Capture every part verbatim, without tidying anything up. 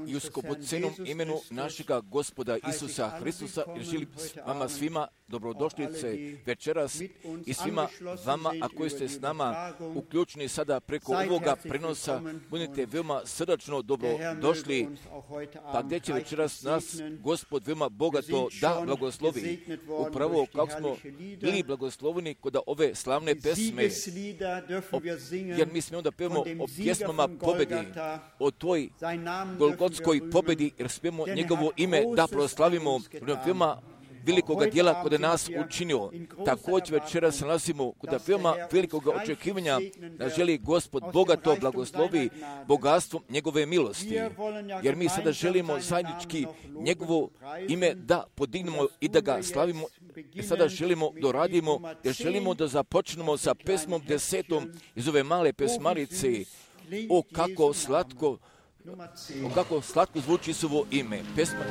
i u skupocenom imenu našega Gospoda Isusa Hristusa želim vama svima dobrodošlice večeras i svima vama, a koji ste s nama uključeni sada preko ovoga prenosa, budite veoma srdačno dobrodošli, pa gdje će večeras nas Gospod veoma bogato da blagoslovi. Upravo kako smo bili blagosloveni kod ove slavne pesme, o, jer mi smo onda pevamo o pjesmama pobedi, o toj golgotskoj pobedi, jer smijemo njegovo ime da proslavimo, veoma velikoga dijela kod nas učinio. Također večeras se nalazimo kod veoma velikoga očekivanja da želi Gospod bogato blagoslovi bogatstvom njegove milosti. Jer mi sada želimo zajednički njegovo ime da podignemo i da ga slavimo. I sada želimo da radimo, jer želimo da započnemo sa pesmom desetom iz ove male pesmarice. O kako slatko, o kako slatko zvuči Isusovo ime. Pesma.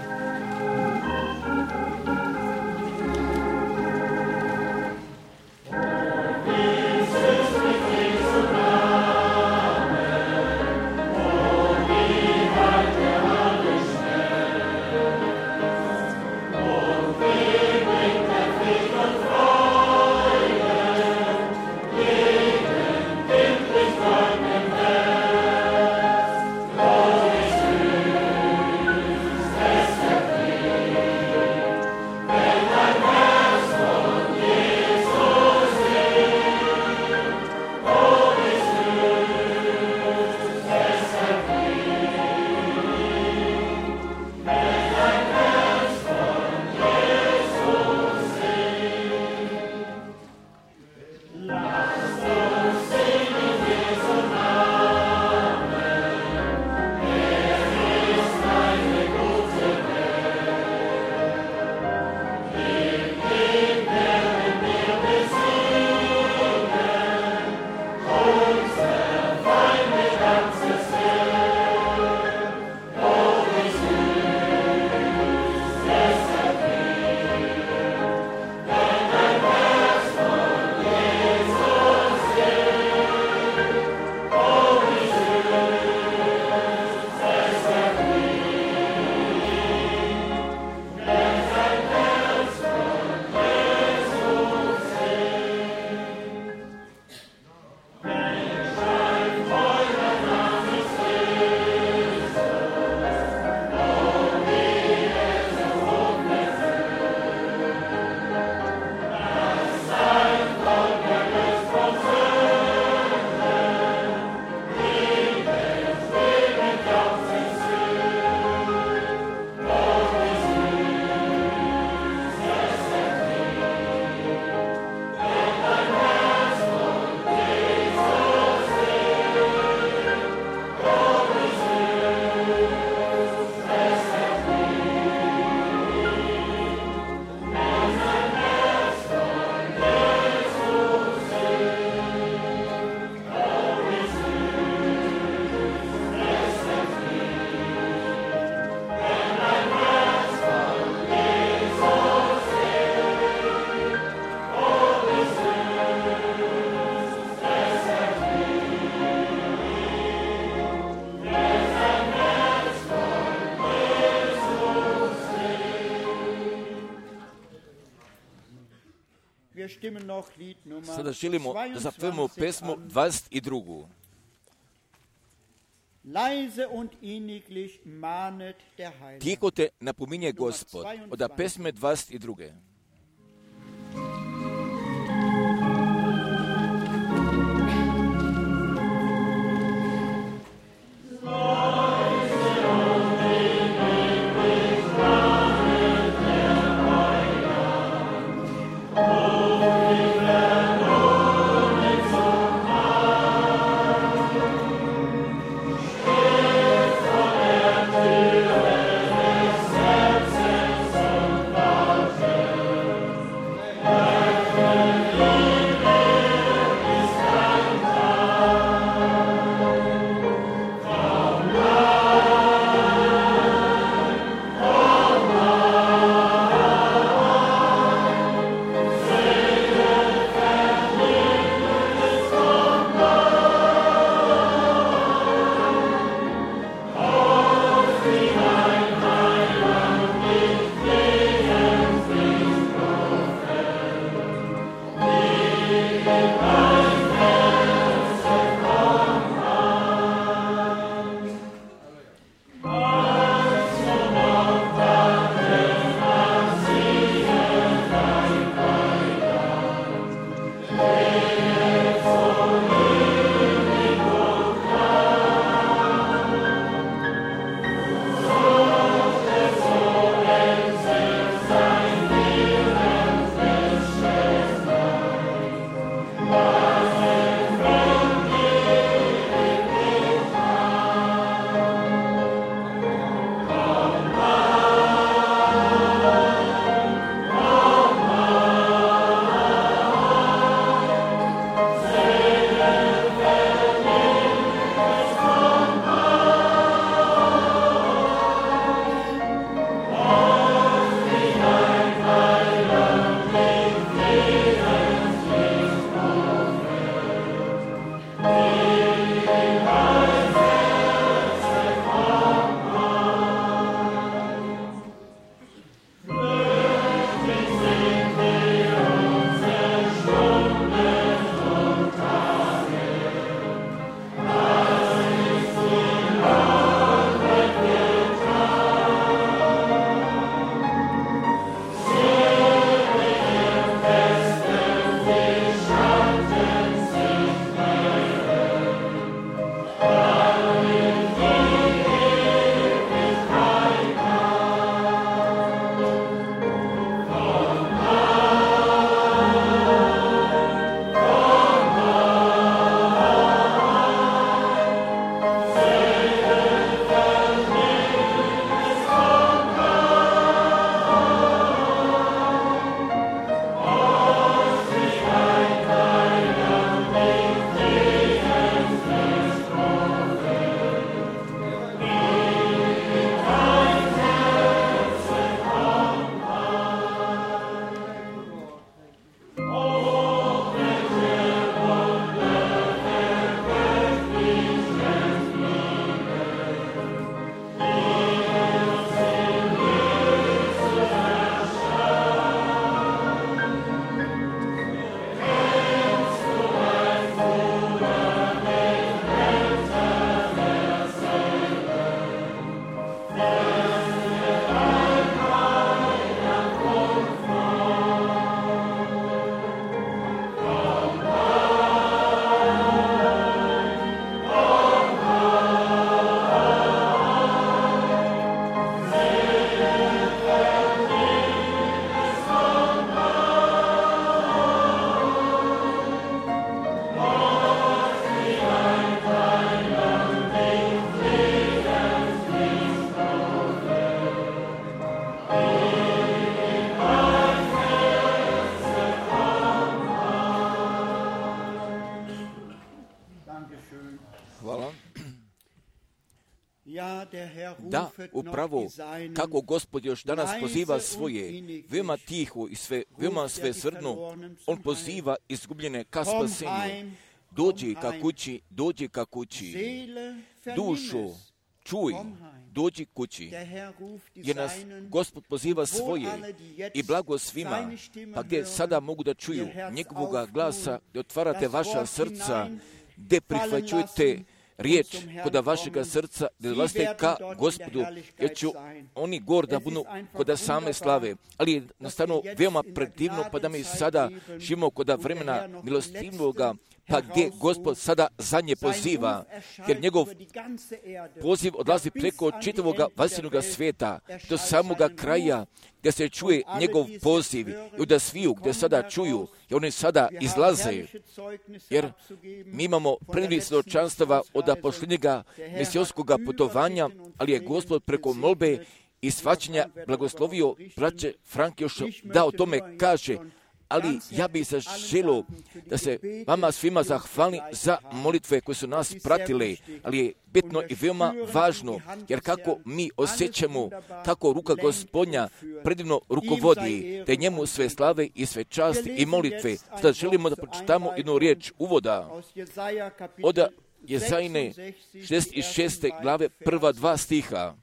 Sada želimo da zapevamo pesmu dvadeset drugu. Tiho te napominje Gospod, od pesme dvadeset druge. Thank you. Hvala. Da, upravo, kako Gospod još danas poziva svoje, veoma tiho i sve, veoma sve srdno, on poziva izgubljene ka spasenju. Dođi ka kući, dođi ka kući. Dušo, čuj, dođi kući. Jer nas Gospod poziva svoje i blago svima, pa gdje sada mogu da čuju njegovoga glasa, gdje otvarate vaša srca, gdje prihvaćujete riječ koda vašega srca, da dolazite ka Gospodu, jer ću oni gor da budu koda same slave. Ali je nastavno veoma predivno, pa da mi sada živimo koda vremena milostivnoga, pa gdje Gospod sada zadnje poziva, jer njegov poziv odlazi preko čitavog vasilnoga svijeta, do samoga kraja, gdje se čuje njegov poziv, i da sviju gdje sada čuju, i oni sada izlaze, jer mi imamo predivnih svjedočanstava od posljednjega mesijonskog putovanja, ali je Gospod preko molbe i shvaćanja blagoslovio braće Frankjoša da o tome kaže. Ali ja bih se želio da se vama svima zahvalim za molitve koje su nas pratile, ali je bitno i veoma važno, jer kako mi osjećamo, kako ruka Gospodnja predivno rukovodi, te njemu sve slave i sve časti i molitve. Sada želimo da pročitamo jednu riječ uvoda od Jezajine šezdeset šeste glave prva dva stiha.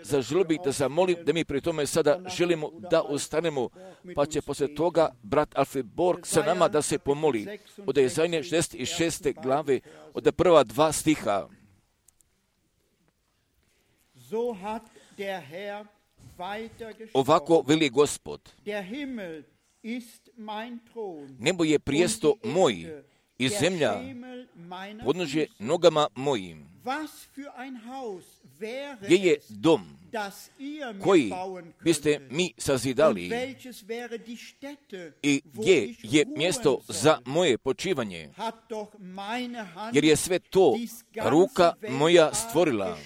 Zaželio bih da zamolim da mi pri tome sada želimo da ostanemo, pa će poslije toga brat Alfred Borg sa nama da se pomoli. Od Jezajine šezdeset šeste glave od prva dva stiha. Ovako veli Gospod: nebo je prijesto moj i zemlja podnožje nogama mojim. Gdje je dom koji biste mi sazidali i gdje je mjesto za moje počivanje, jer je sve to ruka moja stvorila.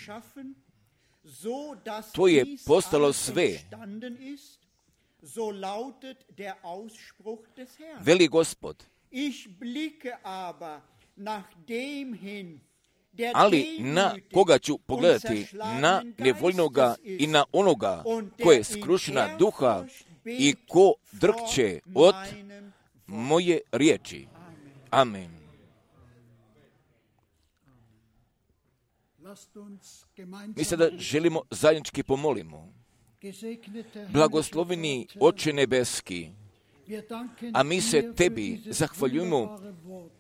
To je postalo sve. Veli Gospod. Ali na koga ću pogledati? Na nevoljnoga i na onoga ko je skrušena duha i ko drkće od moje riječi. Amen. Mi sada želimo zajednički pomolimo. Blagosloveni Oče nebeski, a mi se tebi zahvaljujemo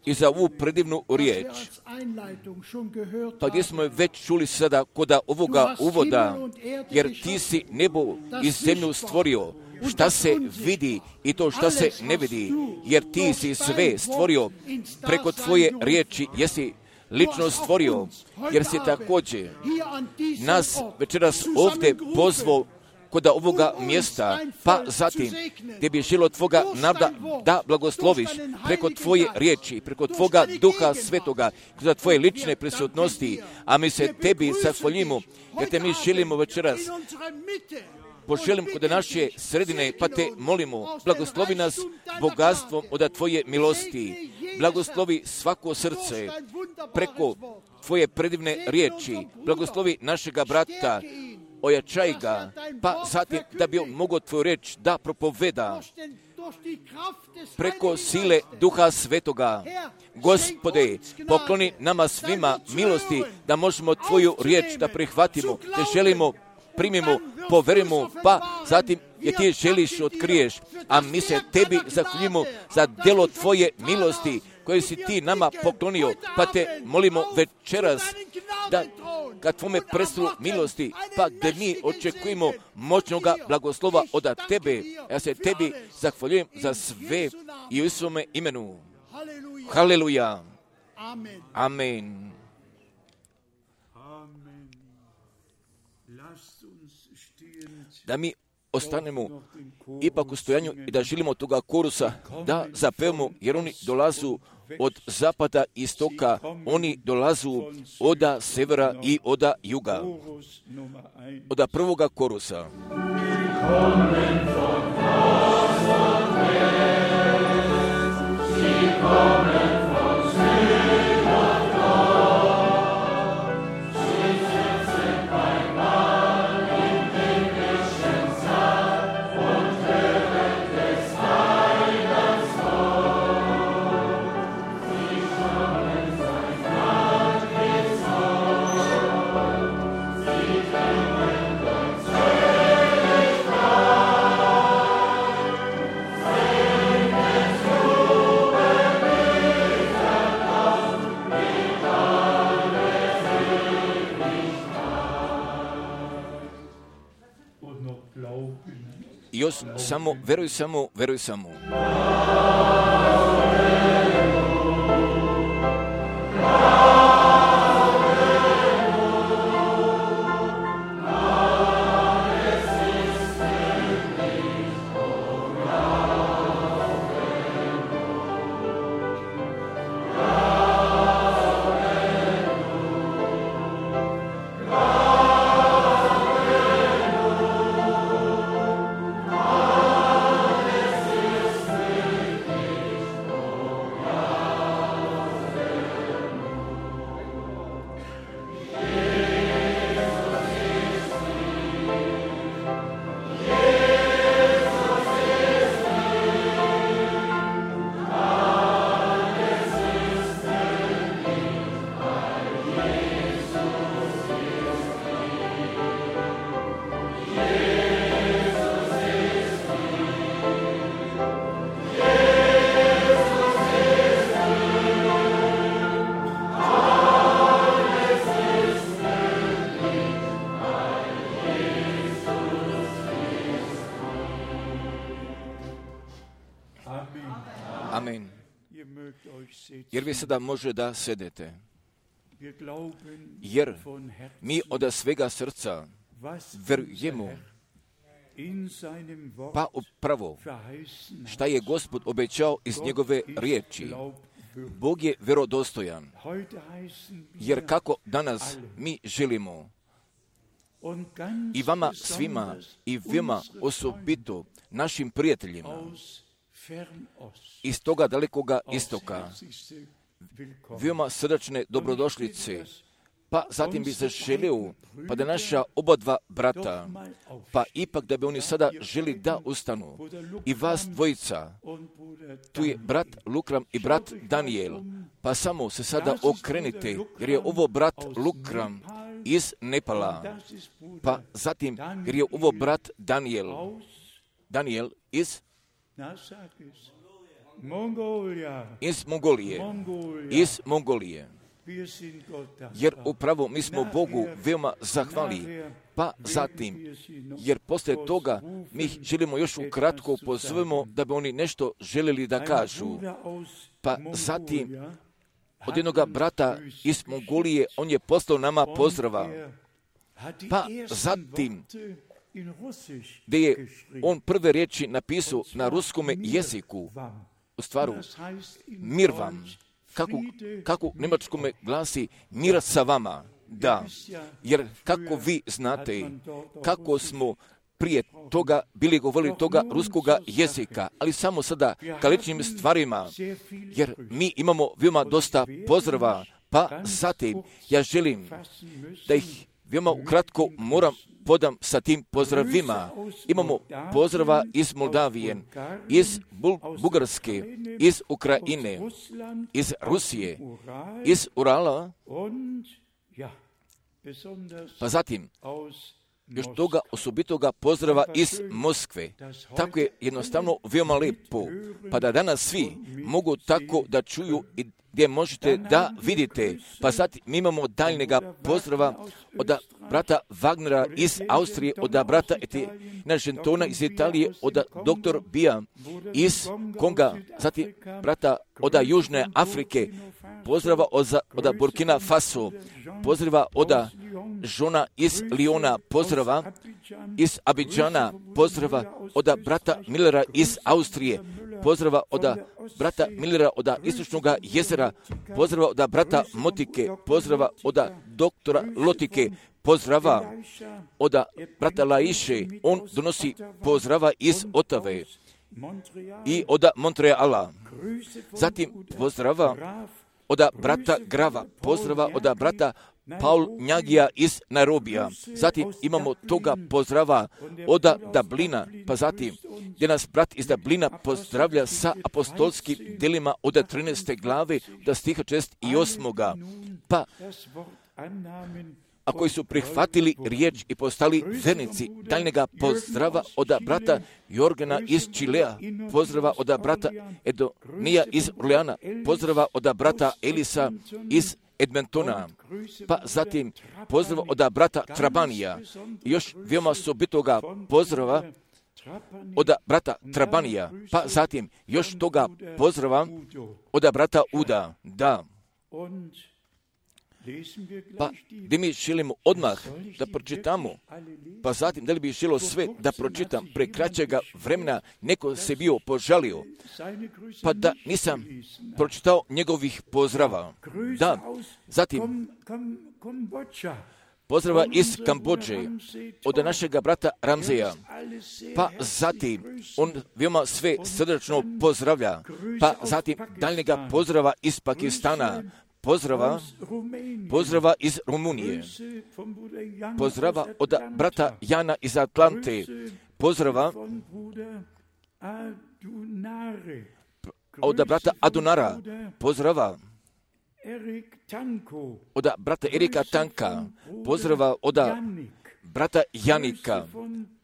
i za ovu predivnu riječ, pa gdje smo je već čuli sada koda ovoga uvoda, jer ti si nebo i zemlju stvorio, šta se vidi i to šta se ne vidi, jer ti si sve stvorio preko tvoje riječi, jesi lično stvorio, jer si također nas večeras ovdje pozvao kod ovoga mjesta, pa zatim gdje bi želo tvoga naroda da blagosloviš preko tvoje riječi, preko tvoga duha svetoga, kroz tvoje lične prisutnosti, a mi se tebi zahvaljujemo, jer te mi želimo večeras poželim kod naše sredine, pa te molimo, blagoslovi nas bogatstvom od tvoje milosti, blagoslovi svako srce preko tvoje predivne riječi, blagoslovi našega brata, ojačaj ga, pa zatim da bi on mogao tvoju reč da propoveda preko sile Duha Svetoga. Gospode, pokloni nama svima milosti da možemo tvoju riječ da prihvatimo, da želimo, primimo, poverimo, pa zatim je ti želiš otkriješ, a mi se tebi zahvaljujemo za djelo tvoje milosti koje si ti nama poklonio, pa te molimo večeras da ka tvome prestolu milosti, pa gdje mi očekujemo moćnoga blagoslova od tebe. Ja se tebi zahvaljujem za sve i u svome imenu. Haleluja. Amen. Da mi ostanemo ipak u stojanju i da želimo toga korusa da zapevamo, jer oni dolazu od zapada i istoka, oni dolazu od severa i od juga. Od prvoga korusa. Sie kommen von Süd und Nord. još samo, veruj samo, veruj samo. Amen. Jer vi sada može da sedete. Jer mi od svega srca verujemo pa upravo šta je Gospod obećao iz njegove riječi. Bog je verodostojan. Jer kako danas mi želimo i vama svima i vama osobito našim prijateljima iz toga dalekoga istoka veoma srdačne dobrodošlice, pa zatim bi zaželio, pa da naša oba dva brata, pa ipak da bi oni sada želi da ustanu. I vas dvojica, tu je brat Lukram i brat Daniel, pa samo se sada okrenite, jer je ovo brat Lukram iz Nepala, pa zatim jer je ovo brat Daniel, Daniel iz iz Mongolije, iz Mongolije. Jer upravo mi smo Bogu veoma zahvali, pa zatim, jer poslije toga mi želimo još ukratko pozovemo da bi oni nešto željeli da kažu. Pa zatim, od jednog brata iz Mongolije, on je poslao nama pozdrava. Pa zatim, gdje je on prve riječi napisao na ruskome jeziku, u stvaru, mir vam, kako, kako u njemačkome glasi, mir sa vama, da, jer kako vi znate, kako smo prije toga bili govorili toga ruskoga jezika, ali samo sada ka ličnim stvarima, jer mi imamo veoma dosta pozdrava, pa zatim ja želim da ih veoma ukratko moram podam sa tim pozdravima. Imamo pozdrava iz Moldavije, iz Bul- Bugarske, iz Ukrajine, iz Rusije, iz Urala, pa zatim još toga osobitoga pozdrava iz Moskve. Tako je jednostavno veoma lepo, pa da danas svi mogu tako da čuju i gdje možete da vidite. Pa sad mi imamo daljnjega pozdrava od brata Wagnera iz Austrije, od brata Etina Žentona iz Italije, od doktor Bija iz Konga, zatim brata od Južne Afrike, pozdrava od, od Burkina Faso, pozdrava od žona iz Liona, pozdrava iz Abidžana, pozdrava od brata Millera iz Austrije, pozdrava od brata Millera od Istočnog jezera, pozdrava od brata Motike, pozdrava od doktora Lotike, pozdrava od brata Laiše, on donosi pozdrava iz Otave i od Montreala. Zatim pozdrava od brata Grava, pozdrava od brata Paul Njagija iz Nairobija. Zatim imamo toga pozdrava od Dublina, pa zatim gdje nas brat iz Dublina pozdravlja sa apostolskim delima od trinaeste glave do stiha četrdeset osam. Pa a koji su prihvatili riječ i postali vernici, daljnjega pozdrava od brata Jorgena iz Čilea, pozdrava od brata Edonija iz Orleana, pozdrava od brata Elisa iz Edmontona, pa zatim pozdrav od brata Trabanija, još veoma osobitoga pozdrava od brata Trabanija, pa zatim još toga pozdrava od brata Uda, da. Pa gdje mi želimo odmah da pročitamo, pa zatim da li bi želio sve da pročitam pre kraćega vremena, neko se bio požalio, pa da nisam pročitao njegovih pozdrava. Da, zatim pozdrava iz Kambodže, od našega brata Ramzeja, pa zatim on veoma sve srdačno pozdravlja, pa zatim daljnjega pozdrava iz Pakistana, pozdrava, pozdrava iz Rumunije, pozdrava od brata Jana iz Atlante, pozdrava od brata Adunara, pozdrava od brata Erika Tanka, pozdrava od brata Janika,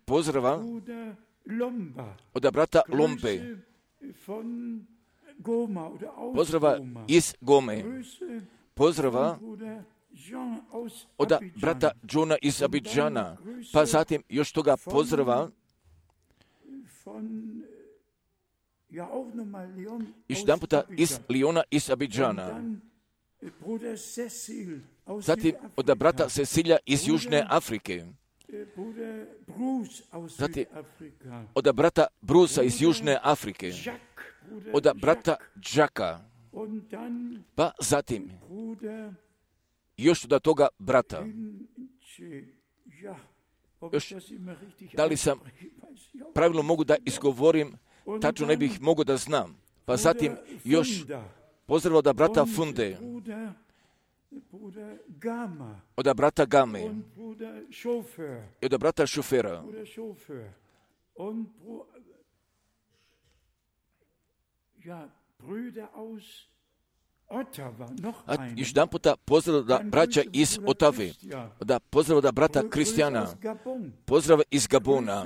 pozdrava od brata Lombe, pozdrava iz Gome, pozdrava od brata Johna iz Abidžana, pa zatim još toga pozdrava još jedan puta iz Liona iz Abidžana, zatim od brata Cecilija iz Južne Afrike, zatim od brata Brusa iz Južne Afrike, od brata Džaka, pa zatim još od toga brata. Još, da li sam pravilno mogu da izgovorim, tačno ne bih mogu da znam. Pa zatim još pozdrav od brata Funde, od brata Game, i od brata Šofera, a još jedan puta pozdrav da braća iz Otave, da pozdrav da brata Kristijana, pozdrav iz Gabona,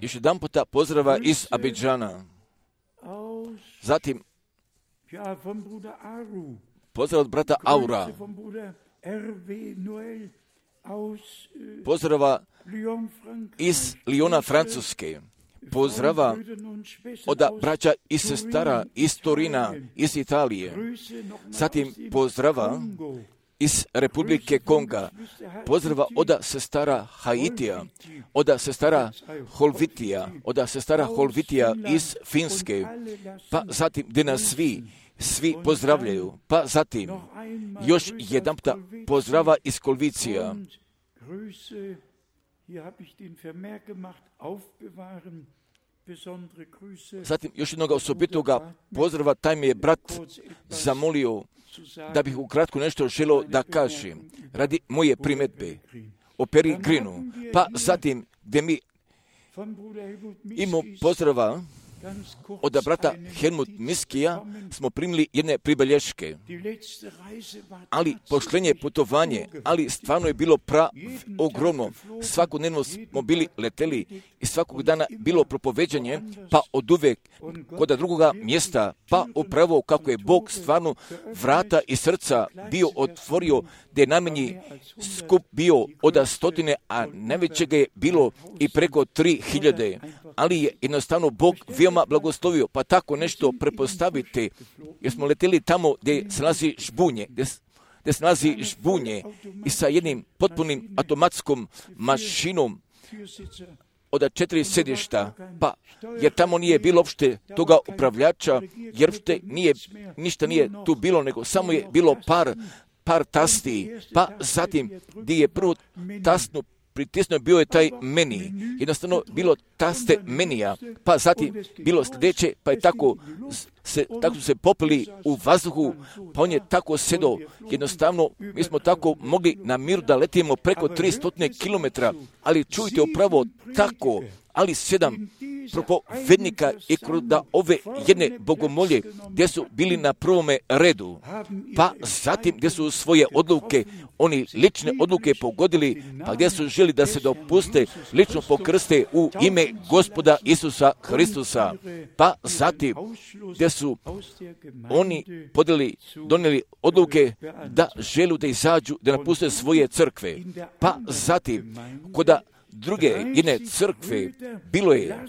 još jedan puta pozdrava iz Abidžana, zatim pozdrav od brata Aura, pozdrava iz Liona, Francuske, pozdrava od braća i sestara iz Torina, iz Italije, zatim pozdrava iz Republike Konga, pozdrava od sestara Haitija, od sestara Holvitija, od sestara Holvitija iz Finske, pa zatim gdje nas svi, svi pozdravljaju, pa zatim još jedan puta pozdrava iz Kolvicija. Zatim još jednog osobitoga pozdrava, taj mi je brat zamolio da bih ukratko nešto želio da kažem radi moje primjedbe o Peri Grinu. Pa zatim gdje mi imamo pozdrava od brata Helmut Miskija smo primili jedne pribelješke, ali poštenje putovanje, ali stvarno je bilo pra ogromno. Svakodnevno smo bili leteli i svakog dana bilo propoveđanje, pa od uvek kod drugoga mjesta, pa upravo kako je Bog stvarno vrata i srca bio otvorio, gdje je najmanji skup bio od stotine, a najvećega je bilo i preko tri hiljade, ali je jednostavno Bog veoma blagoslovio, pa tako nešto prepostavite, jer smo leteli tamo gdje se nalazi žbunje, gdje, gdje se nalazi žbunje i sa jednim potpunim automatskom mašinom od četiri sjedišta, pa jer tamo nije bilo uopšte toga upravljača, jer uopšte nije, ništa nije tu bilo, nego samo je bilo par, par tasti, pa zatim gdje je prvo tastnu pritisnuo, bio je taj meni, jednostavno bilo taste menija, pa zatim bilo sljedeće, pa je tako se, tako su se popili u vazduhu, pa on je tako sedao, jednostavno mi smo tako mogli na miru da letimo preko tristo kilometara, ali čujte upravo tako, ali sedam propovednika i kroz da ove jedne bogomolje gdje su bili na prvome redu, pa zatim gdje su svoje odluke, oni lične odluke pogodili, pa gdje su želi da se dopuste lično pokrste u ime Gospoda Isusa Hristusa, pa zatim gdje su oni podeli, donijeli odluke da želu da izađu, da napuste svoje crkve, pa zatim koda druge jedne crkve bilo je,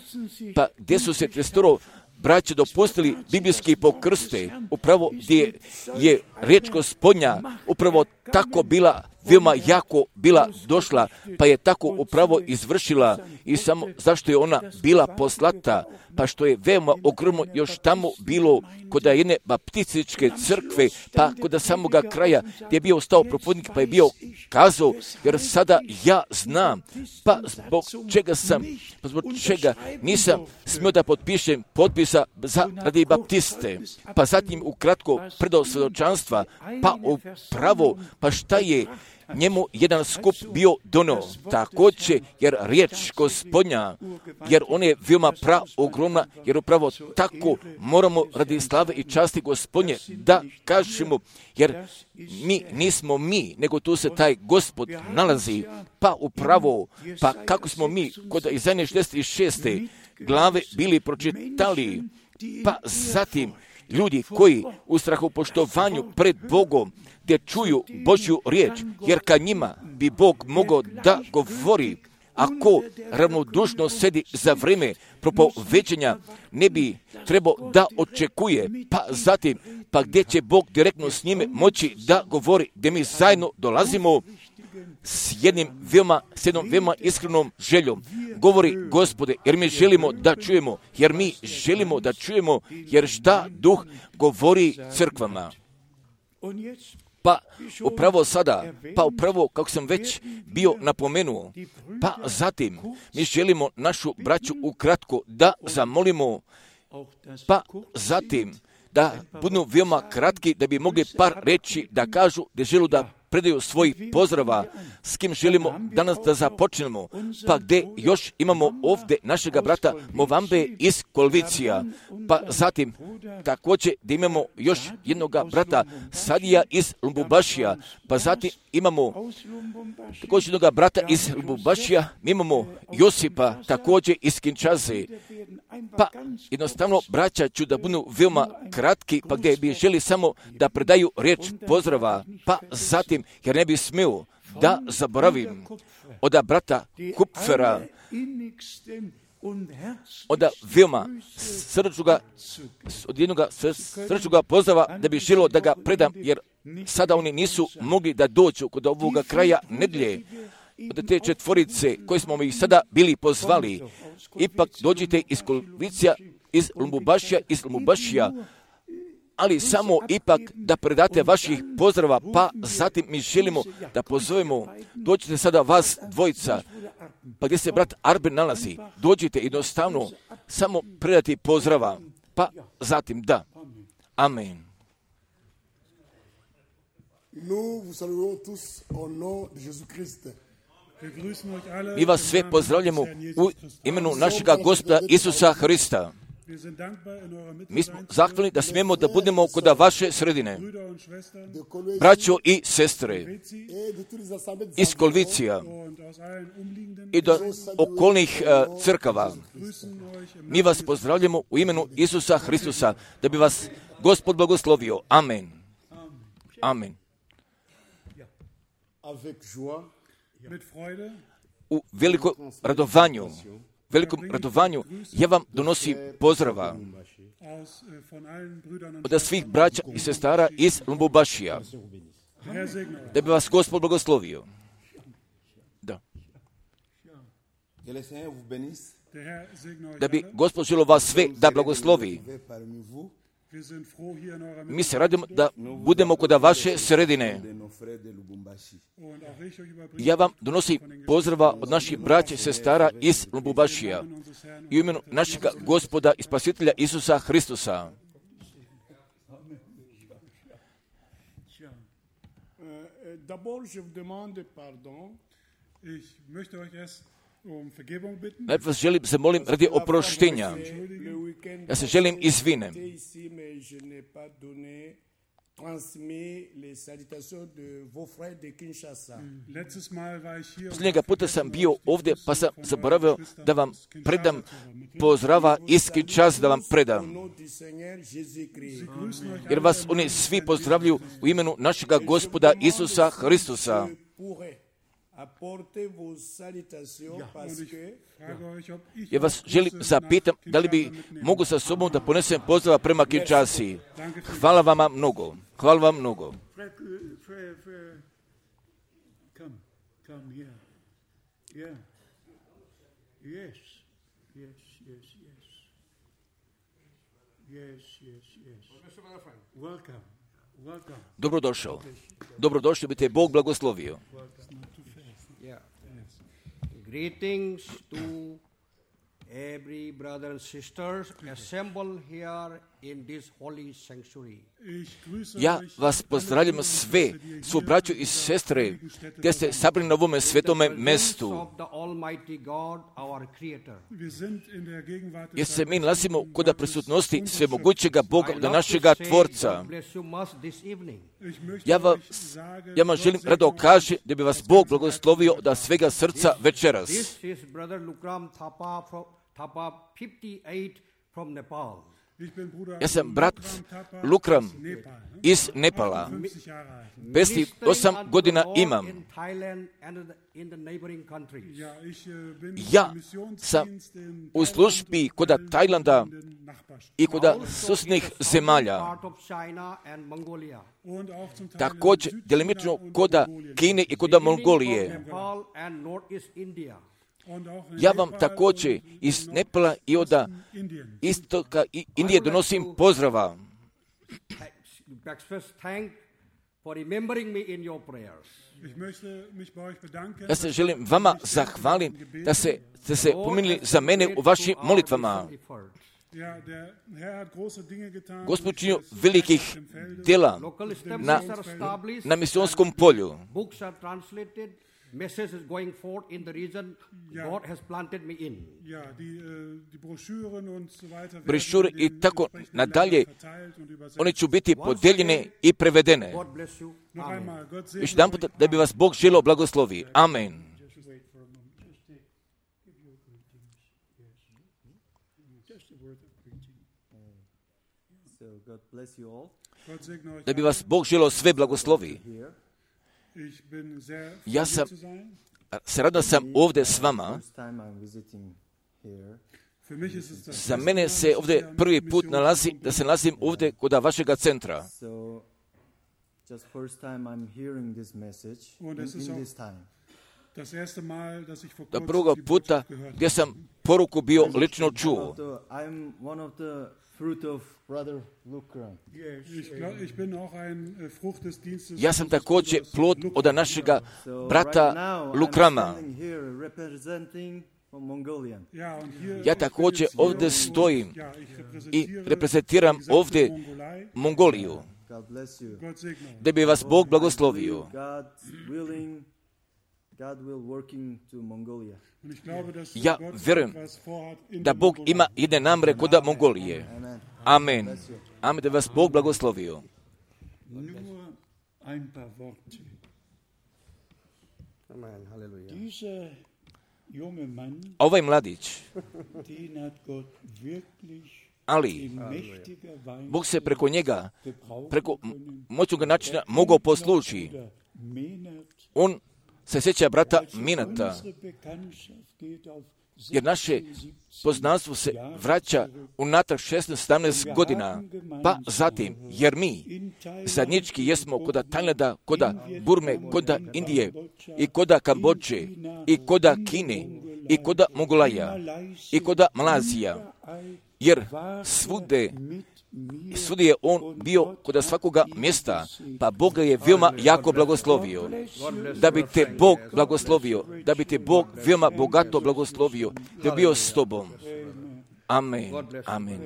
pa gdje su se trestoro braće dopustili biblijski pokrste, upravo gdje je riječ Gospodnja upravo tako bila, veoma jako bila došla, pa je tako upravo izvršila i samo zašto je ona bila poslata, pa što je veoma ogromno još tamo bilo kod jedne baptističke crkve, pa kod samoga kraja gdje je bio stao propovednik, pa je bio kazao, jer sada ja znam, pa zbog čega sam, pa zbog čega nisam smio da potpišem potpisa za radi baptiste, pa zatim ukratko predao svjedočanstva, pa upravo, pa šta je njemu jedan skup bio dono, također, jer riječ Gospodnja, jer on je veoma pra ogromna, jer upravo tako moramo radi slave i časti Gospodnje da kažemo, jer mi nismo mi, nego tu se taj Gospod nalazi, pa upravo, pa kako smo mi kod Izaije šezdeset šeste glave bili pročitali, pa zatim ljudi koji u strahopoštovanju pred Bogom gdje čuju Božju riječ, jer ka njima bi Bog mogao da govori, ako ravnodušno sedi za vrijeme propoveđenja, ne bi trebao da očekuje, pa zatim, pa gdje će Bog direktno s njime moći da govori, gdje mi zajedno dolazimo s jednim veoma, s jednom veoma iskrenom željom. Govori Gospode, jer mi želimo da čujemo, jer mi želimo da čujemo, jer šta Duh govori crkvama. Pa upravo sada, pa upravo kako sam već bio napomenuo, pa zatim mi želimo našu braću ukratko da zamolimo, pa zatim da budu veoma kratki, da bi mogli par reći da kažu da želu da predaju svojih pozdrava, s kim želimo danas da započnemo, pa gdje još imamo ovdje našega brata Movambe iz Kolvicija, pa zatim također gdje imamo još jednoga brata Sadija iz Lumbubašija, pa zatim imamo također jednoga brata iz Lumbubašija, mi imamo Josipa također iz Kinčaze, pa jednostavno braća ću da budu veoma kratki, pa gdje bi želi samo da predaju riječ pozdrava, pa zatim jer ne bi smio da zaboravim od brata Kupfera, od veoma srčuga, od jednog srčuga pozdrava da bi želio da ga predam, jer sada oni nisu mogli da dođu kod ovoga kraja nedjelje, od te četvorice koje smo ih sada bili pozvali. Ipak dođite iz Kolvicija, iz Lumbubašija, iz Lumbubašija, ali samo ipak da predate vaših pozdrava, pa zatim mi želimo da pozovemo, dođite sada vas dvojica, pa gdje se brat Arben nalazi, dođite jednostavno samo predati pozdrava, pa zatim da. Amen. Mi vas sve pozdravljamo u imenu našega Gospoda Isusa Hrista. Mi smo zahvalni da smijemo da budemo kod vaše sredine, braćo i sestre iz Kolvicija i do okolnih uh, crkava. Mi vas pozdravljamo u imenu Isusa Hristusa, da bi vas Gospod blagoslovio. Amen. Amen. U velikom radovanju, velikom radovanju, ja vam donosim pozdrava od svih braća i sestara iz Lumbubašija, da bi vas Gospod blagoslovio. Da. Da bi Gospod želio vas sve da blagoslovi. Mi se radimo da budemo kod vaše sredine. Ja vam donosim pozdrava od naših braća i sestara iz Lumbubašija i u imenu našeg Gospoda i Spasitelja Isusa Hristusa. Najprije vas želim, zamolim radi oproštenja. Ja se želim izvinem. Posljednjega puta sam bio ovdje, pa sam zaboravio da vam predam pozdrava iz Kinshase, da vam predam. Jer vas oni svi pozdravljuju u imenu našega Gospoda Isusa Hristusa. Ja vas želim zapitam da li bi mogu sa sobom da ponesem pozdrava prema Kinshasi. Hvala vama mnogo. Hvala vam mnogo. Dobrodošao. Dobrodošli, bi te Bog blagoslovio. Greetings to every brother and sisters assembled here in this holy sanctuary. Ja vas pozdravljam sve, svu braću i sestre, gdje ste sabrani na ovome svetome mestu. Jer se mi nalazimo kod prisutnosti svemogućega Boga, od našega Tvorca. Ja vam, ja vam želim rado kaži da bi vas Bog blagoslovio da svega srca večeras. This is brother Lukram Thapa from Thapa fifty-eight from Nepal. Ja sam brat Lukram iz Nepala. pedeset osam godina imam. Ja sam u službi kod Tajlanda i kod susjednih zemalja. Također, delimično kod Kine i kod Mongolije. Ja vam također iz Nepala i od istoka i Indije donosim pozdrava. Ja se želim vama zahvalim da se, da se pominili za mene u vašim molitvama. Gospod činio velikih djela na, na misionskom polju. Message is going forth in the region God has planted me in. Brošure i tako nadalje, one će biti podijeljene i prevedene. Još jedan put da bi vas Bog želio blagoslovi. Amen. Da bi vas Bog želio sve blagoslovi. Ja sam, se radno sam ovdje s vama. Za mene se ovdje prvi put nalazi, da se nalazim ovdje kod vašega centra. Da prvoga puta gdje sam poruku bio lično čuo. Ja sam također plod od našega brata Lukrama. Ja također ovdje stojim i reprezentiram ovdje Mongoliju. Da bi vas Bog blagoslovio. Ja vjerujem da Bog ima jedne namere kod Mongolije. Amen. Amen, da vas Bog blagoslovio. Amen. Hallelujah. Ovaj mladić, ali Bog se preko njega, preko moćnog načina mogao poslužiti. On se sjeća brata Minata, jer naše poznanstvo se vraća unatrag šesnaest sedamnaest godina, pa zatim, jer mi zajednički jesmo kod Tajlanda, kod Burme, kod Indije i kod Kambodže i kod Kine i kod Mongolaja i kod Malazija, jer svude Svudi je on bio kod svakoga mjesta, pa Bog ga je veoma jako blagoslovio. Da bi te Bog blagoslovio, da bi te Bog veoma bogato blagoslovio, da bi bio s tobom. Amen, amen.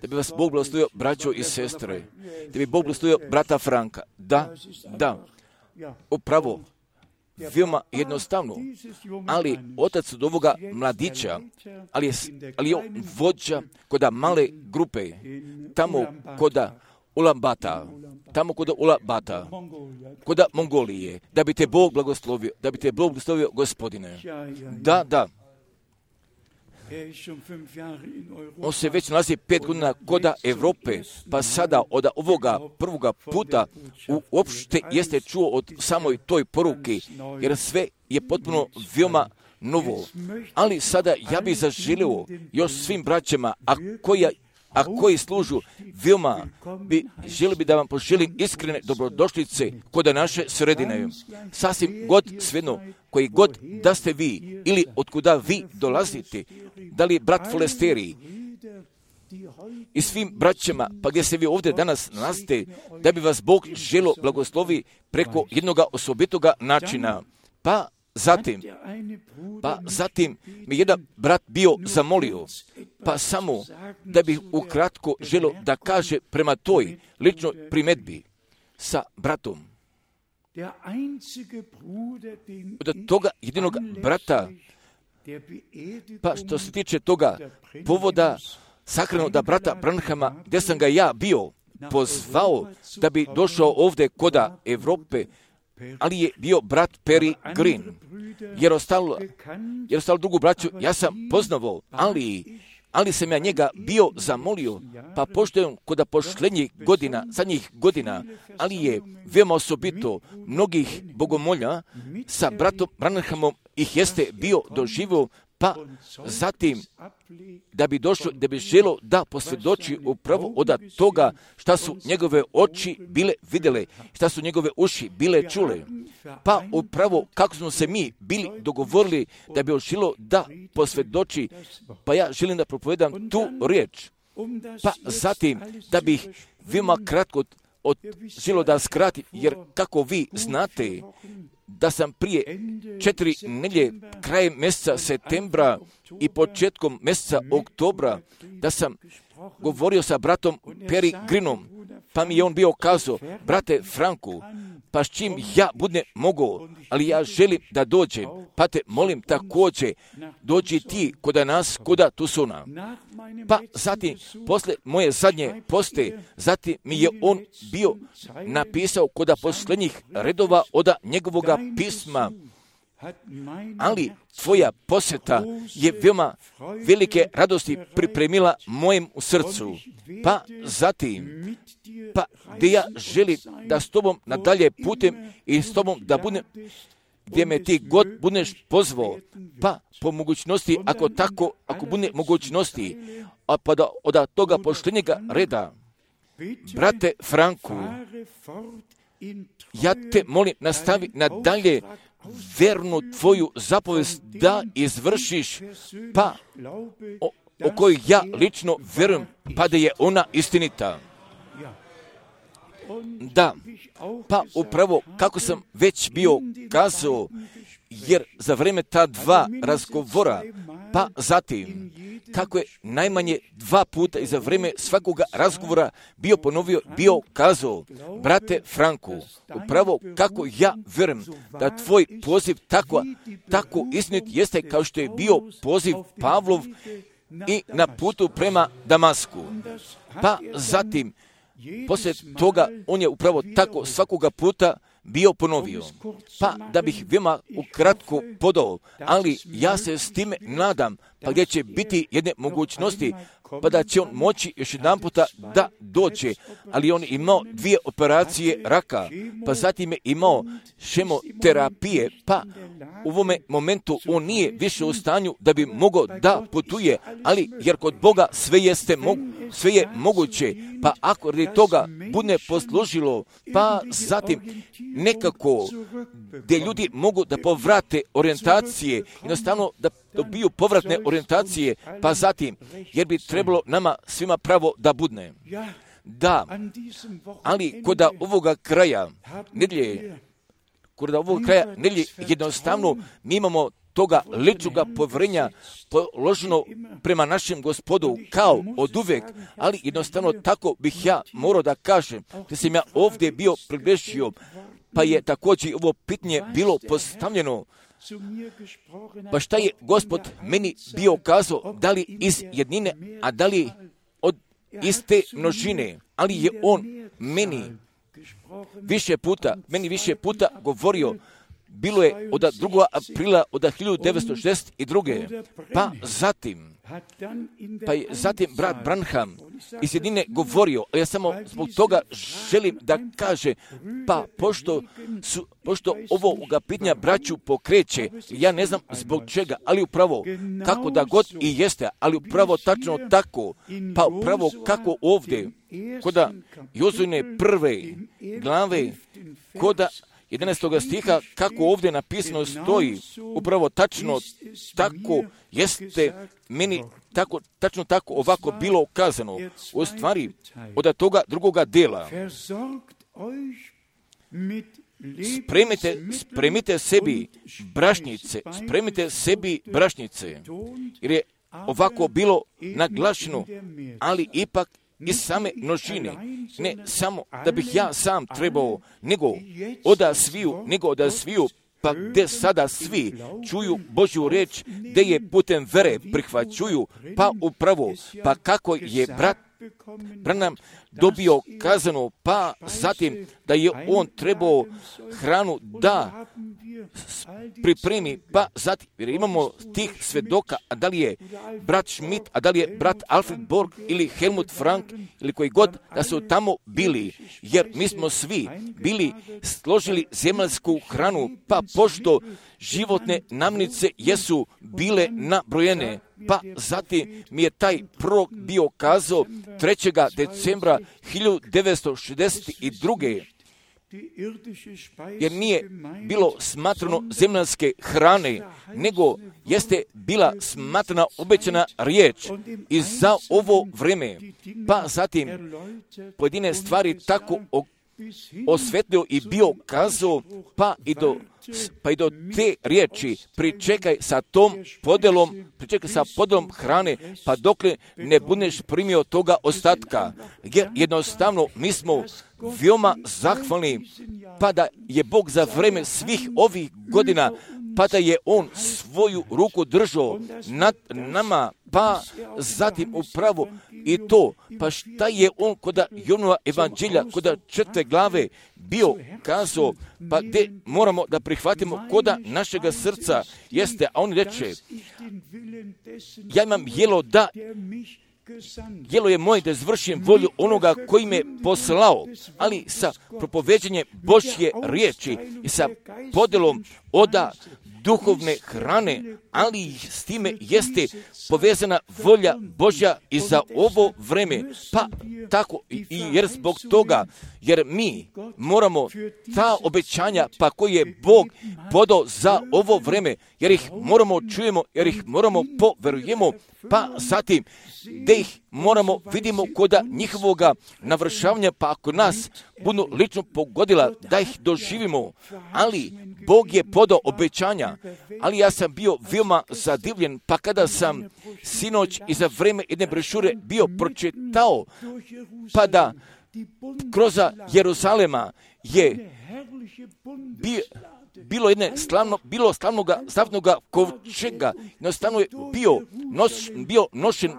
Da bi vas Bog blagoslovio, braćo i sestre. Da bi Bog blagoslovio brata Franka. Da, da, upravo, veoma jednostavno, ali otac od ovoga mladića, ali je, ali je on vođa koda male grupe, tamo koda Ulambata, tamo koda Ulambata, koda Mongolije, da bi te Bog blagoslovio, da bi te Bog blagoslovio, Gospodine. Da, da. On se već nalazi pet godina koda Evrope, pa sada od ovoga prvoga puta uopšte jeste čuo od samoj toj poruke, jer sve je potpuno veoma novo. Ali sada ja bih zaželio još svim braćama, a koja a koji služu veoma bi želio bi da vam poželim iskrene dobrodošlice kod naše sredine. Sasvim god svejedno, koji god da ste vi ili otkuda vi dolazite, da li brat Folesteri i svim braćama, pa gdje se vi ovdje danas nalazite, da bi vas Bog želo blagoslovi preko jednoga osobitoga načina. Pa Zatim, pa zatim mi jedan brat bio zamolio, pa samo da bih ukratko želio da kaže prema toj ličnoj primedbi sa bratom. Od toga jedinog brata, pa što se tiče toga povoda sakranoga brata Branhama, gdje sam ga ja bio pozvao da bi došao ovdje koda Evrope, ali je bio brat Perry Green, jer ostalo, jer ostalo drugu braću ja sam poznavao, ali, ali sam ja njega bio zamolio, pa pošto je on kod pošlednjih godina, zadnjih godina, ali je veoma osobito mnogih bogomolja sa bratom Branhamom ih jeste bio doživio, pa zatim da bi došao, da bi želo da posvjedoči upravo od toga šta su njegove oči bile vidjele, šta su njegove uši bile čule. Pa upravo kako smo se mi bili dogovorili da bi želo da posvjedoči, pa ja želim da propovedam tu riječ. Pa zatim da bih veoma kratko od želo da skratim, jer kako vi znate, da sam prije četiri nedjelje, krajem mjeseca septembra i početkom mjeseca oktobra, da sam govorio sa bratom Perry Greenom, pa mi je on bio kazao, brate Franku, pa s čim ja budem mogao, ali ja želim da dođem, pa te molim također, dođi ti koda nas, koda Tusuna. Pa zatim, posle moje zadnje poste, zatim mi je on bio napisao koda posljednjih redova od njegovoga pisma, ali tvoja posjeta je veoma velike radosti pripremila mojem srcu. Pa zatim, pa gdje ja želim da s tobom nadalje putem i s tobom da budem, gdje me ti god budeš pozvao, pa po mogućnosti, ako tako, ako bude mogućnosti, a pa da od toga poštenjega reda, brate Franku, ja te molim, nastavi nadalje vernu tvoju zapovest da izvršiš, pa o, o kojoj ja lično verujem, pa da je ona istinita. Da, pa upravo kako sam već bio kazao, jer za vrijeme ta dva razgovora, pa zatim, kako je najmanje dva puta i za vrijeme svakoga razgovora bio ponovio, bio kazao, brate Franku, upravo kako ja verujem da tvoj poziv tako, tako istinit jeste kao što je bio poziv Pavlov i na putu prema Damasku. Pa zatim, poslije toga on je upravo tako svakoga puta bio ponovio. Pa da bih veoma ukratko podao, ali ja se s time nadam, pa gdje će biti jedne mogućnosti, pa da će on moći još jedan puta da dođe, ali on imao dvije operacije raka, pa zatim je imao šemoterapije, pa u ovome momentu on nije više u stanju da bi mogao da putuje, ali jer kod Boga sve jeste mo- sve je moguće, pa ako radi toga bude poslužilo, pa zatim nekako gdje ljudi mogu da povrate orijentacije, jednostavno da dobiju povratne orijentacije, pa zatim, jer bi trebalo nama svima pravo da budne. Da, ali kod ovoga kraja nedjelje, kod ovoga kraja nedjelje jednostavno mi imamo toga ličnoga povjerenja položeno prema našem Gospodu kao od uvek, ali jednostavno tako bih ja morao da kažem, da sam ja ovdje bio približio, pa je također ovo pitanje bilo postavljeno. Pa šta je Gospod meni bio kazao, da li iz jednine, a da li od iste množine, ali je on meni više puta, meni više puta govorio. Bilo je od drugog aprila od hiljadu devetsto šezdeset druge. Pa zatim, pa je zatim brat Branham iz jedine govorio, a ja samo zbog toga želim da kaže, pa pošto, su, pošto ovoga pitanja braću pokreće, ja ne znam zbog čega, ali upravo kako da god i jeste, ali upravo tačno tako, pa upravo kako ovdje, koda Jozujne prve glave, koda jedanaestog stiha, kako ovdje napisano stoji, upravo tačno tako jeste meni tako, tačno tako ovako bilo ukazano. U stvari, od toga drugoga dela. Spremite, spremite sebi brašnice, spremite sebi brašnice, jer je ovako bilo naglašeno, ali ipak iz same množine, ne samo da bih ja sam trebao, nego oda sviju, nego oda sviju, pa gdje sada svi čuju Božju reč, gdje je putem vere prihvaćuju, pa upravo, pa kako je brat Branham dobio kazano, pa zatim da je on trebao hranu da pripremi, pa zatim, jer imamo tih svedoka, a da li je brat Schmidt, a da li je brat Alfred Borg ili Helmut Frank ili koji god da su tamo bili, jer mi smo svi bili složili zemaljsku hranu, pa pošto životne namirnice jesu bile nabrojene, pa zatim mi je taj prorok bio kazao trećeg decembra hiljadu devetsto šezdeset druge. Jer nije bilo smatrano zemaljske hrane, nego jeste bila smatrana obećana riječ i za ovo vrijeme. Pa zatim pojedine stvari tako osvetlio i bio kazao, pa i do pa i do te riječi pričekaj sa tom podelom, pričekaj sa podelom hrane, pa dokle ne budeš primio toga ostatka. Jer jednostavno mi smo veoma zahvalni, pa da je Bog za vreme svih ovih godina, pa da je On svoju ruku držao nad nama, pa zatim upravo i to, pa šta je On koda Jonova evanđelja, koda četvrte glave bio kazao, pa gdje moramo da prihvatimo koda našega srca jeste, a on reče, ja imam jelo da, jelo je moje da izvršim volju onoga koji me poslao, ali sa propoveđenjem Božje riječi i sa podelom oda duhovne hrane, ali s time jeste povezana volja Božja i za ovo vreme. Pa tako, i jer zbog toga, jer mi moramo ta obećanja, pa koje je Bog podao za ovo vreme, jer ih moramo čujemo, jer ih moramo poverujemo, pa zatim, da ih moramo vidimo koda njihovoga navršavanja, pa ako nas budu lično pogodila, da ih doživimo. Ali Bog je podao obećanja, ali ja sam bio veoma zadivljen, pa kada sam sinoć i za vreme jedne brošure bio pročitao, pa da kroz Jeruzalema je bio bilo jedne slavno, bilo slavnoga, slavnoga kovčega, jednostavno je bio, nos, bio nošen,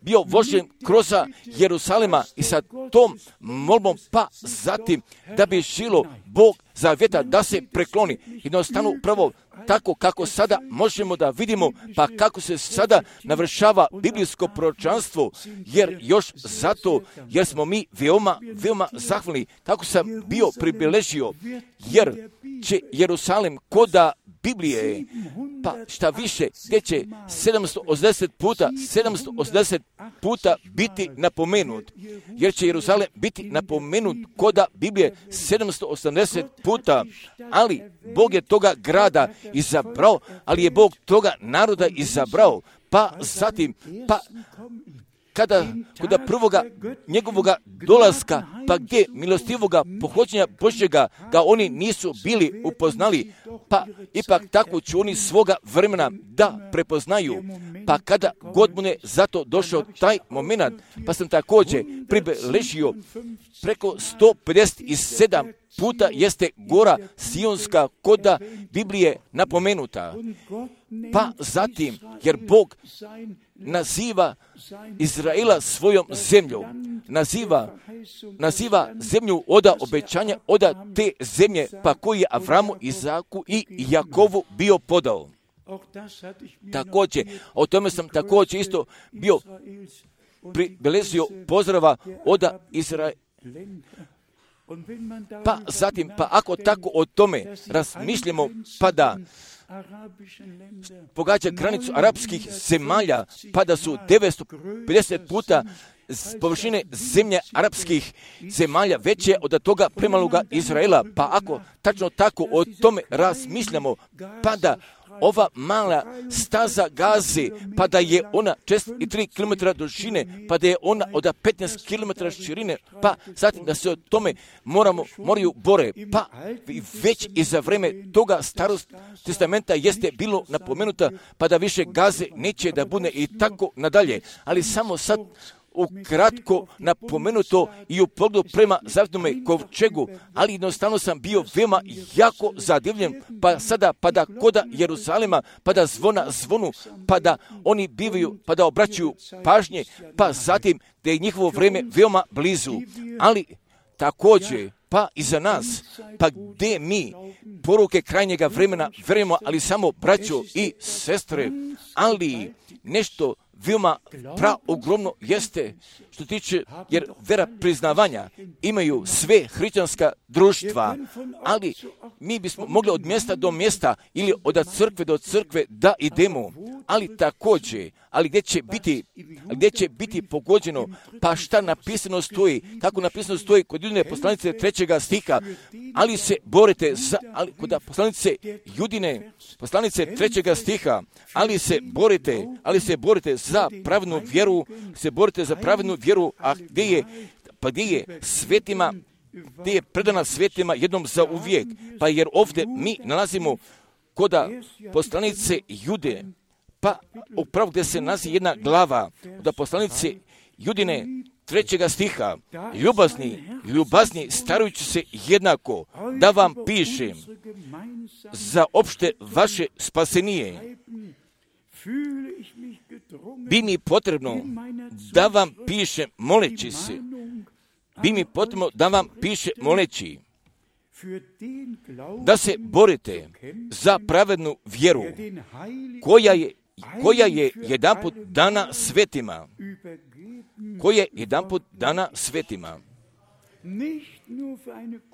bio vožen kroz Jeruzalema i sa tom molbom, pa zatim da bi žilo Bog zavjeta da se prekloni. Jednostavno upravo tako kako sada možemo da vidimo, pa kako se sada navršava biblijsko proročanstvo, jer još zato, jer smo mi veoma, veoma zahvalni, tako sam bio pribeležio, jer će Jerusalim koda Biblije, pa šta više, gdje će sedamsto osamdeset puta, sedamsto osamdeset puta biti napomenut, jer će Jerusalim biti napomenut koda Biblije sedamsto osamdeset puta, ali Bog je toga grada izabrao, ali je Bog toga naroda izabrao, pa zatim, pa kada, kada prvoga njegovoga dolaska, pa gdje milostivoga pohođenja Božjega ga oni nisu bili upoznali, pa ipak tako će oni svoga vremena da prepoznaju, pa kada god mu ne zato došao taj moment, pa sam također pribeležio preko sto pedeset sedam puta jeste gora Sionska koda Biblije napomenuta. Pa zatim, jer Bog naziva Izraela svojom zemljom, naziva, naziva zemlju oda obećanja, oda te zemlje, pa koji je Avramu, Izaku i Jakovu bio podao. Također, o tome sam također isto bio pribeležio pozdrava oda Izraela. Pa zatim, pa ako tako o tome razmišljamo, pa da pogađa granicu arapskih zemalja, pa da su devetsto pedeset puta površine zemlje arapskih zemalja veće od toga premaloga Izraela, pa ako tačno tako o tome razmišljamo, pa da ova mala staza Gaze, pa da je ona četrdeset tri kilometra dužine, pa da je ona od petnaest kilometara širine, pa zatim da se o tome moramo, moraju bore, pa već i za vreme toga starog testamenta jeste bilo napomenuta, pa da više Gaze neće da bude i tako nadalje, ali samo sad ukratko napomenuto i u pogledu prema zavetnome kovčegu, ali jednostavno sam bio veoma jako zadivljen, pa sada, pa da koda Jeruzalema, pa da zvona zvonu, pa da oni bivaju, pa da obraćaju pažnje, pa zatim da je njihovo vrijeme veoma blizu, ali također, pa i za nas, pa gdje mi poruke krajnjega vremena verujemo, ali samo braćo i sestre, ali nešto veoma praogromno jeste što tiče, jer vera priznavanja imaju sve hrišćanska društva, ali mi bismo mogli od mjesta do mjesta ili od crkve do crkve da idemo, ali također, ali gdje će biti, gdje će biti pogođeno, pa šta napisano stoji, kako napisano stoji kod Judine poslanice trećega stiha, ali se borite za, ali kod poslanice Judine, poslanice trećega stiha, ali se borite, ali se borite za pravednu vjeru, se borite za pravednu vjeru, a gdje je, pa gdje je svetima, gdje je predana svetima jednom za uvijek, pa jer ovdje mi nalazimo koda poslanice Jude, pa upravo gdje se nalazi jedna glava od poslanice Judine trećega stiha, ljubazni, ljubazni starujući se jednako, da vam pišem za opšte vaše spasenije. Bi mi potrebno da vam piše moleći se, bi mi potrebno da vam piše moleći, da se borite za pravednu vjeru, koja je, koja je jedanput dana svetima, koja je jedanput dana svetima.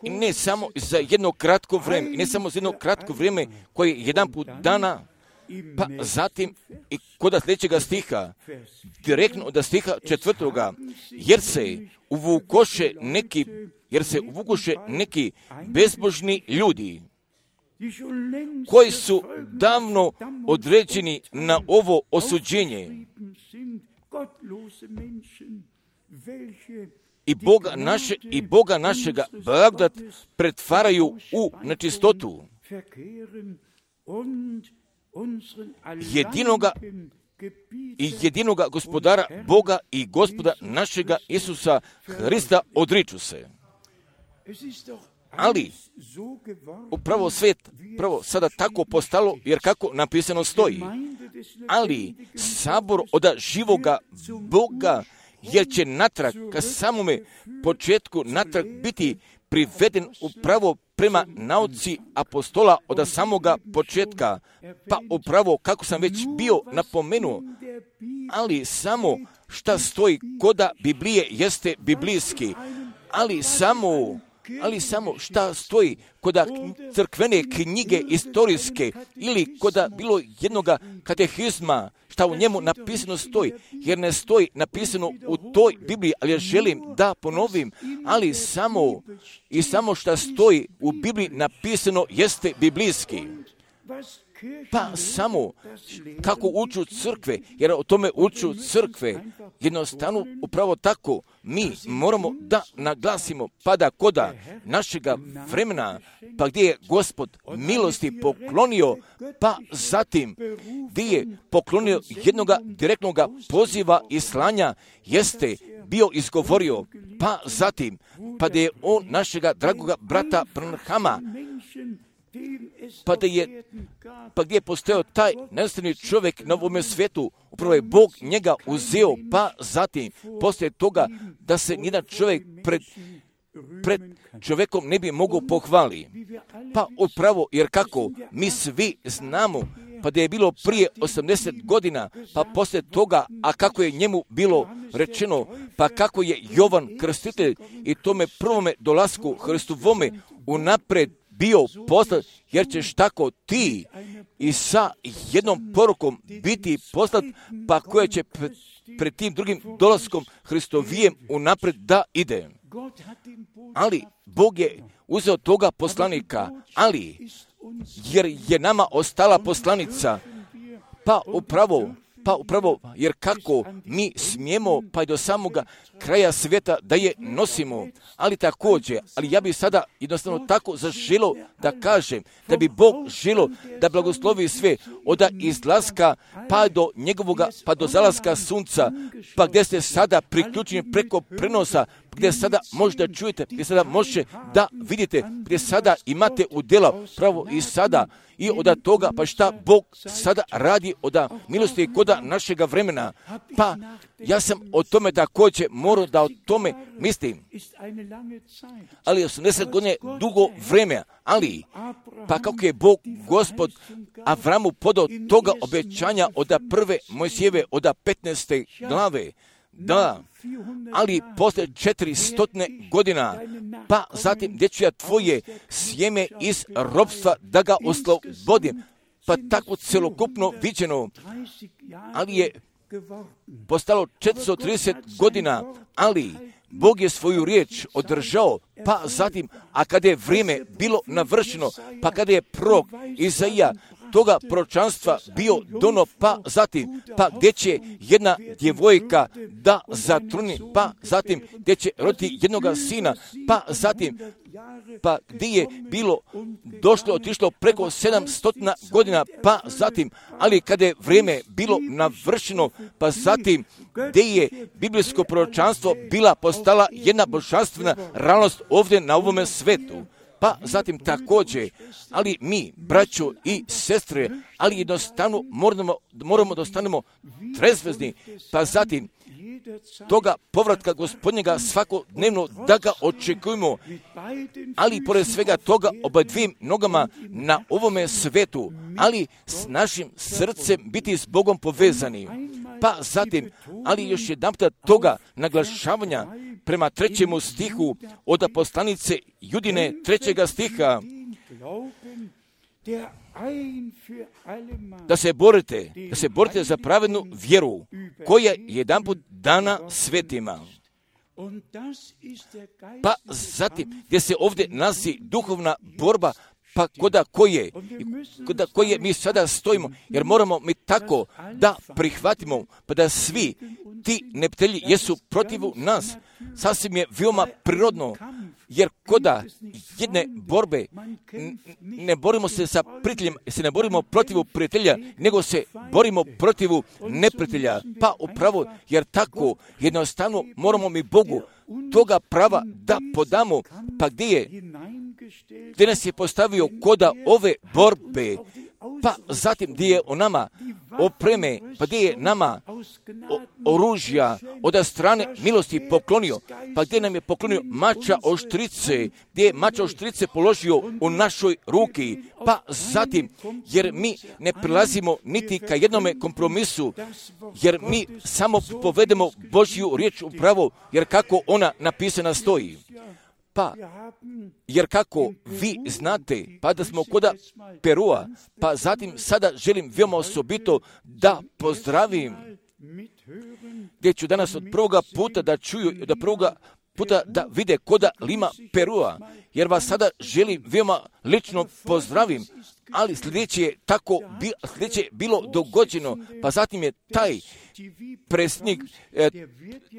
I ne samo za jedno kratko vrijeme, i ne samo za jedno kratko vrijeme koje je jedanput dana, pa zatim i kod sljedećega stiha, direktno od stiha četvrtoga, jer se uvukoše neki, jer se uvukoše neki bezbožni ljudi, koji su davno određeni na ovo osuđenje. I Boga, naše, i Boga našega blagodat pretvaraju u nečistotu. Jedinoga i jedinoga gospodara Boga i Gospoda našega Isusa Hrista odriču se. Ali upravo svet, pravo sada tako postalo, jer kako napisano stoji, ali sabor od živoga Boga, jer će natrag ka samome početku natrag biti priveden upravo prema nauci apostola od samoga početka, pa upravo kako sam već bio napomenuo, ali samo šta stoji koda Biblije jeste biblijski, ali samo ali samo šta stoji koda crkvene knjige istorijske ili koda bilo jednoga katehizma, šta u njemu napisano stoji, jer ne stoji napisano u toj Bibliji, ali ja želim da ponovim, ali samo i samo šta stoji u Bibliji napisano jeste biblijski. Pa samo kako uču crkve, jer o tome uču crkve, jednostavno upravo tako mi moramo da naglasimo, pa da koda našega vremena, pa gdje je Gospod milosti poklonio, pa zatim gdje je poklonio jednoga direktnoga poziva i slanja, jeste bio izgovorio, pa zatim, pa da je on našega dragoga brata Branhama, pa da je, pa gdje je postojao taj nedostatni čovjek na ovome svijetu, upravo je Bog njega uzeo, pa zatim, poslije toga da se nijedan čovjek pred, pred čovjekom ne bi mogao pohvali. Pa upravo, jer kako mi svi znamo, pa da je bilo prije osamdeset godina, pa poslije toga, a kako je njemu bilo rečeno, pa kako je Jovan Krstitelj i tome prvome dolasku Hristovome unaprijed bio poslat, jer ćeš tako ti i sa jednom porukom biti poslat, pa koja će pred, pred tim drugim dolaskom Hristovijem unaprijed da ide. Ali Bog je uzeo toga poslanika, ali jer je nama ostala poslanica, pa upravo, pa upravo, jer kako mi smijemo pa i do samoga kraja svijeta da je nosimo, ali također, ali ja bih sada jednostavno tako zaželo da kažem, da bi Bog želo da blagoslovi sve od izlaska pa do njegovoga, pa do zalaska sunca, pa gdje ste sada priključeni preko prenosa, gdje sada možda čujete, gdje sada možete da vidite, gdje sada imate udjela pravo i sada, i od toga, pa šta Bog sada radi od milosti i koda našega vremena. Pa ja sam o tome također morao da o tome mislim. Ali osamdeset godina je dugo vreme, ali pa kako je Bog Gospod Avramu podao toga obećanja od prve Mojsijeve, od petnaeste glave, da, ali poslije četiristotne godina, pa zatim gdje ću ja tvoje sjeme iz ropstva da ga oslobodim, pa tako celokupno viđeno, ali je postalo četiristo trideset godina, ali Bog je svoju riječ održao, pa zatim, a kada je vrijeme bilo navršeno, pa kada je prorok Izaija toga proročanstva bio dono, pa zatim, pa gdje će jedna djevojka da zatruni, pa zatim gdje će roditi jednoga sina, pa zatim, pa gdje je bilo došlo, otišlo preko sedamstotina godina, pa zatim, ali kada je vrijeme bilo navršeno, pa zatim gdje je biblijsko proročanstvo bila postala jedna božanstvena realnost ovdje na ovome svetu. Pa zatim također, ali mi, braćo i sestre, ali jednostavno moramo, moramo da ostanemo trezvezni, pa zatim toga povratka Gospodnjega svakodnevno da ga očekujemo, ali pored svega toga oba dvim nogama na ovome svetu, ali s našim srcem biti s Bogom povezani. Pa zatim, ali još jedan puta toga naglašavanja prema trećemu stihu od poslanice Judine trećega stiha, da se borite, da se borite za pravednu vjeru koja je jedanput dana svetima. Pa zatim, gdje se ovdje nalazi duhovna borba, pa koda koje, koda koje mi sada stojimo, jer moramo mi tako da prihvatimo, pa da svi ti neprijatelji jesu protiv nas. Sasvim je veoma prirodno, jer koda jedne borbe ne borimo se sa prijateljem, se ne borimo protiv prijatelja, nego se borimo protiv neprijatelja. Pa upravo, jer tako jednostavno moramo mi Bogu toga prava da podamo, pa gdje je, gdje nas je postavio koda ove borbe, pa zatim gdje je o nama opreme, pa gdje je nama o, oružja od strane milosti poklonio, pa gdje nam je poklonio mača oštrice, gdje je mača oštrice položio u našoj ruki, pa zatim, jer mi ne prilazimo niti ka jednome kompromisu, jer mi samo povedemo Božju riječ upravo, jer kako ona napisana stoji. Pa, jer kako vi znate, pa da smo koda Perua, pa zatim sada želim veoma osobito da pozdravim, gdje ću danas od prvoga puta da čuju, da prvoga puta da vide koda Lima Perua, jer vas sada želim veoma lično pozdravim, ali sljedeće je tako bi, sljedeće je bilo dogođeno, pa zatim je taj predsjednik e,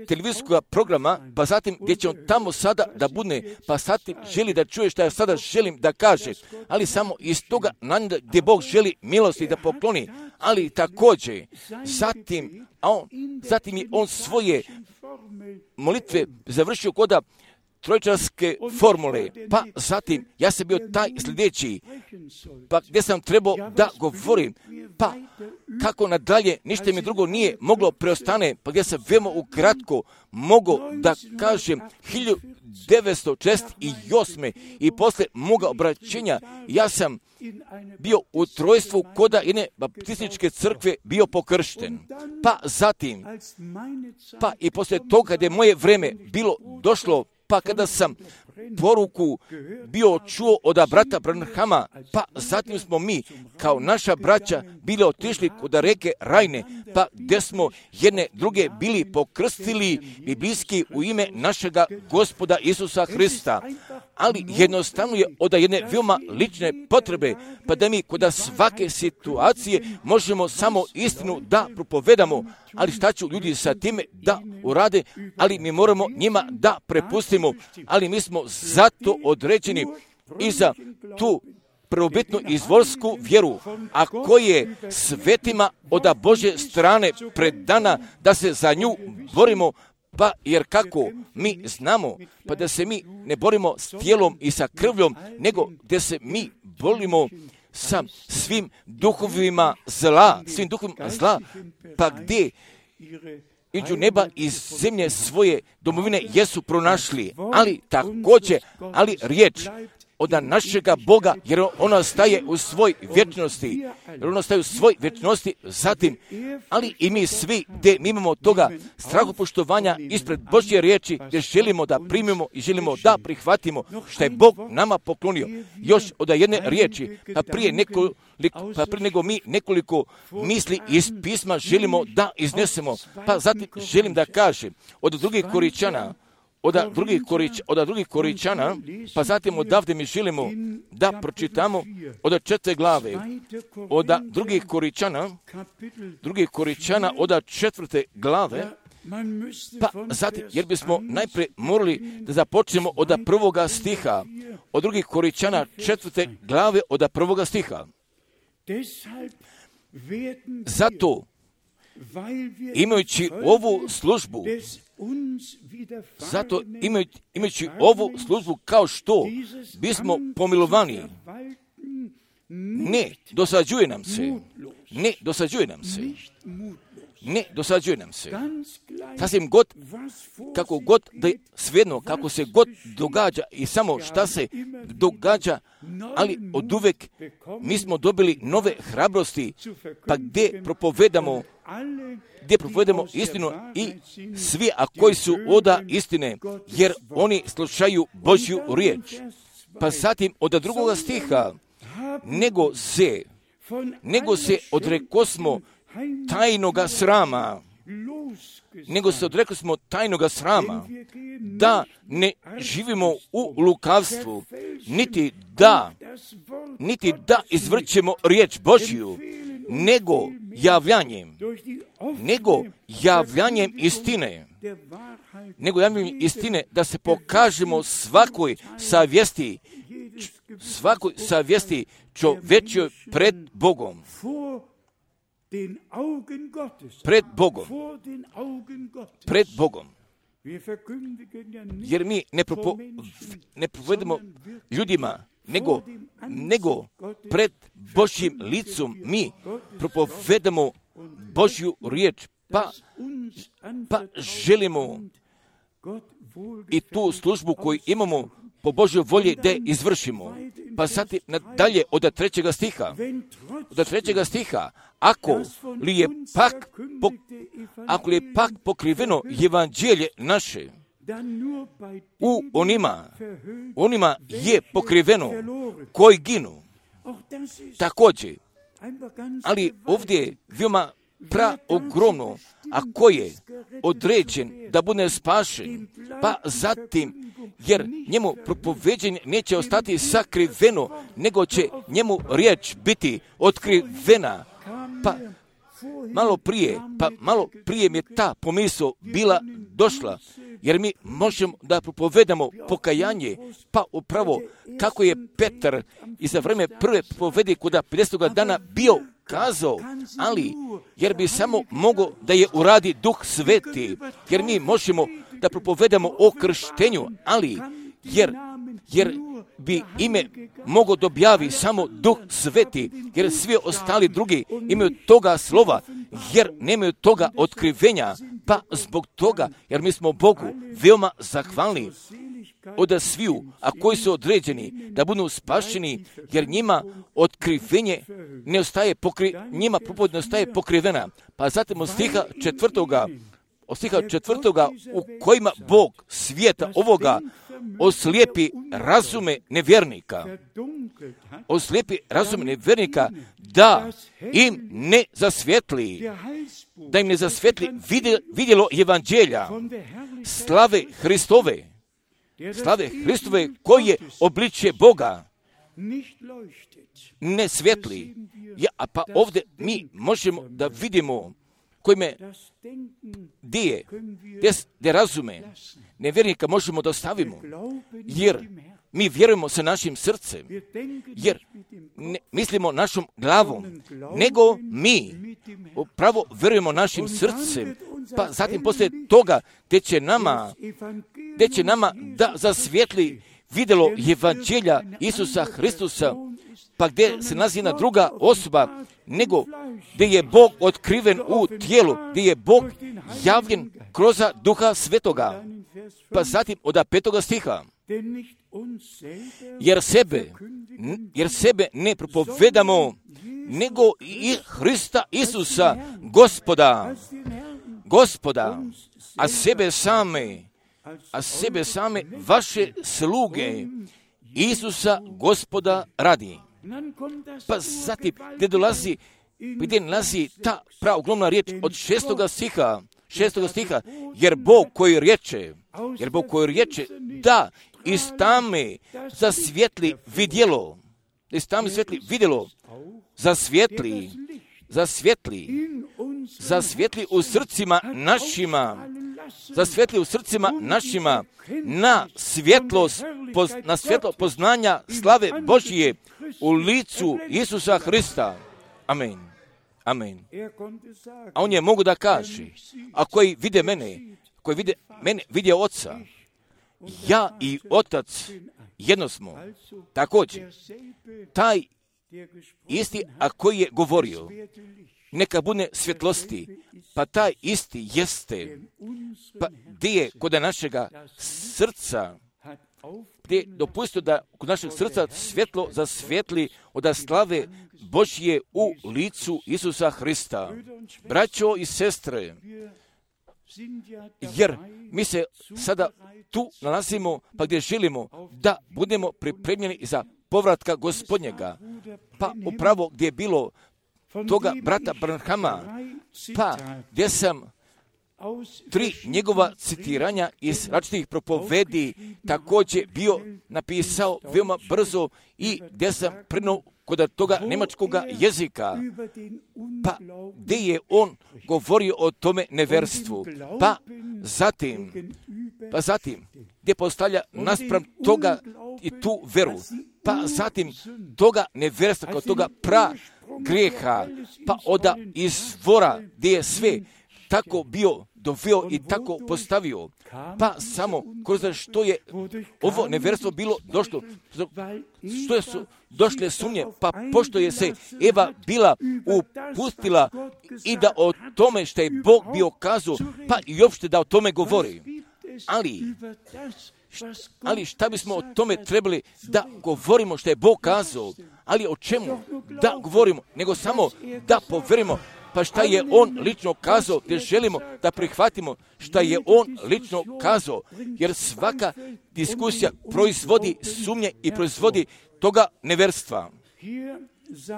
televizijskog programa, pa zatim gdje će on tamo sada da bude, pa zatim želi da čuje što ja sada želim da kaže, ali samo iz toga gdje Bog želi milosti da pokloni, ali također zatim, a on, zatim je on svoje molitve završio koda trojčarske formule, pa zatim ja sam bio taj sljedeći, pa gdje sam trebao da govorim, pa kako nadalje, ništa mi drugo nije moglo preostane, pa gdje sam veoma ukratko mogao da kažem hiljadu devetsto četrdeset osme i posle moga obraćenja ja sam bio u trojstvu koda jedne baptističke crkve bio pokršten. Pa zatim, pa i posle toga kada je moje vreme bilo došlo, pa kada sam poruku bio čuo od brata Branhama, pa zatim smo mi kao naša braća bili otišli kod reke Rajne, pa gdje smo jedne druge bili pokrstili biblijski u ime našega Gospoda Isusa Hrista. Ali jednostavno je od jedne veoma lične potrebe, pa da mi kod svake situacije možemo samo istinu da propovedamo, ali šta ću ljudi sa time da urade, ali mi moramo njima da prepustimo, ali mi smo zato određeni i za tu prvobitnu izvorsku vjeru, a koje je svetima od Božje strane predana da se za nju borimo, pa jer kako mi znamo, pa da se mi ne borimo s tijelom i sa krvljom, nego da se mi borimo sa svim duhovima zla, svim duhovima zla, pa gdje iđu neba i zemlje svoje domovine jesu pronašli, ali također, ali riječ od našega Boga, jer ona staje u svoj vječnosti, jer ona staje u svoj vječnosti, zatim, ali i mi svi, gdje mi imamo toga strahopoštovanja ispred Božje riječi, gdje želimo da primimo i želimo da prihvatimo što je Bog nama poklonio. Još od jedne riječi, pa prije, nekoliko, pa prije nego mi nekoliko misli iz pisma želimo da iznesemo, pa zatim želim da kažem od drugih Koričana, Od drugih, korič, od drugih Koričana, pa zatim odavde mi želimo da pročitamo od četvrte glave, od drugih Koričana, drugih Koričana od četvrte glave, pa zatim, jer bismo najprije morali da započnemo od prvoga stiha, od drugih Koričana četvrte glave od prvoga stiha. Zato, imajući ovu službu, Zato imajući, imajući ovu službu kao što bismo pomilovani, ne dosađuje nam se, ne dosađuje nam se, ne dosađuje nam se. Sasvim god, kako god da je svejedno, kako se god događa i samo šta se događa, ali od uvek mi smo dobili nove hrabrosti, pa gdje propovedamo gdje propovedamo istinu i svi, a koji su oda istine, jer oni slušaju Božju riječ. Pa zatim od drugoga stiha, nego se, nego se odrekosmo tajnoga srama, nego se odrekosmo tajnoga srama, da ne živimo u lukavstvu, niti da, niti da izvrćemo riječ Božju, nego javljanjem, nego javljanjem istine, nego javljanjem istine, da se pokažemo svakoj savjesti, svakoj savjesti čovečjoj pred Bogom. Pred Bogom. Pred Bogom. Jer mi ne, propo, ne povedemo ljudima, nego, nego pred Božjim licom mi propovedamo Božju riječ, pa, pa želimo i tu službu koju imamo po Božjoj volji da izvršimo. Pa zatim nadalje od trećega stiha, od trećega stiha, ako li je pak, po, ako li je pak pokriveno evanđelje naše, u onima, onima je pokriveno koji ginu. Također, ali ovdje je veoma pra ogromno, ako je određen da bude spašen, pa zatim, jer njemu propoveđenje neće ostati sakriveno, nego će njemu riječ biti otkrivena. Pa malo prije, pa malo prije mi je ta pomisao bila došla, jer mi možemo da propovedamo pokajanje, pa upravo kako je Petar i za vreme prve propovedi kuda pedesetoga dana bio kazao, ali jer bi samo mogo da je uradi Duh Sveti, jer mi možemo da propovedamo o krštenju, ali jer, jer bi ime mogo dobjavi samo Duh Sveti, jer svi ostali drugi imaju toga slova, jer nemaju toga otkrivenja, pa zbog toga, jer mi smo Bogu veoma zahvalni od sviju, a koji su određeni da budu spašeni, jer njima otkrivenje ne ostaje pokri, njima propoved ne ostaje pokrivena. Pa zatim od stiha četvrtoga, od stiha četvrtoga u kojima Bog svijeta ovoga oslijepi razume nevjernika, oslijepi razume nevjernika da im ne zasvjetli, da im ne zasvjetli vidjelo evanđelja, slave Hristove, slave Hristove koje obličje Boga ne svjetli. Ja, a pa ovdje mi možemo da vidimo kojime gdje je, gdje razume nevjernika možemo da ostavimo, jer mi vjerujemo sa našim srcem, jer ne mislimo našom glavom, nego mi upravo vjerujemo našim srcem, pa zatim poslije toga gdje će nama, gdje će nama da zasvjetli vidjelo evanđelja Isusa Hristusa, pa gdje se nalazi jedna druga osoba, nego gdje je Bog otkriven u tijelu, gdje je Bog javljen kroz Duha Svetoga. Pa zatim od petoga stiha, jer sebe, jer sebe ne propovedamo, nego i Hrista Isusa, Gospoda, Gospoda, a sebe same, a sebe same vaše sluge, Isusa Gospoda radi. Pa zatim, gdje dolazi, gdje nalazi ta praoglomna riječ od šestoga stiha, šestoga stiha, jer Bog koji riječe, jer Bog koji riječe, da iz tame zasvjetli vidjelo, iz tame svetli vidjelo, zasvjetli, zasvjetli, zasvjetli u srcima našima, zasvjetli u srcima našima na svjetlost, poz, na svjetlo poznanja slave Božije u licu Isusa Hrista. Amen. Amen. A on je mogu da kaže, a koji vide mene, koji vide mene, vide Oca, ja i Otac jedno smo. Također, taj isti, a koji je govorio, neka bude svjetlosti, pa taj isti jeste, pa gdje je kod našega srca, gdje je dopustio da kod našeg srca svjetlo zasvjetli od slave Božje u licu Isusa Hrista. Braćo i sestre, jer mi se sada tu nalazimo, pa gdje želimo da budemo pripremljeni za povratka Gospodnjega, pa upravo gdje je bilo toga brata Branhama, pa gdje sam tri njegova citiranja iz različitih propovedi također bio napisao veoma brzo i gdje sam prenuo kod toga njemačkoga jezika, pa gdje je on govorio o tome neverstvu, pa zatim, pa zatim gdje postavlja naspram toga i tu veru, pa zatim toga neverstva kao toga pra grijeha, pa oda izvora gdje je sve tako bio doveo i tako postavio, pa samo kroz što je ovo neverstvo bilo došlo, što su došle sumnje, pa pošto je se Eva bila upustila i da o tome što je Bog bio kazao, pa i uopšte da o tome govori. Ali, ali šta bismo o tome trebali da govorimo što je Bog kazao, ali o čemu da govorimo, nego samo da poverimo, pa šta je on lično kazao, gdje želimo da prihvatimo šta je on lično kazao, jer svaka diskusija proizvodi sumnje i proizvodi toga neverstva.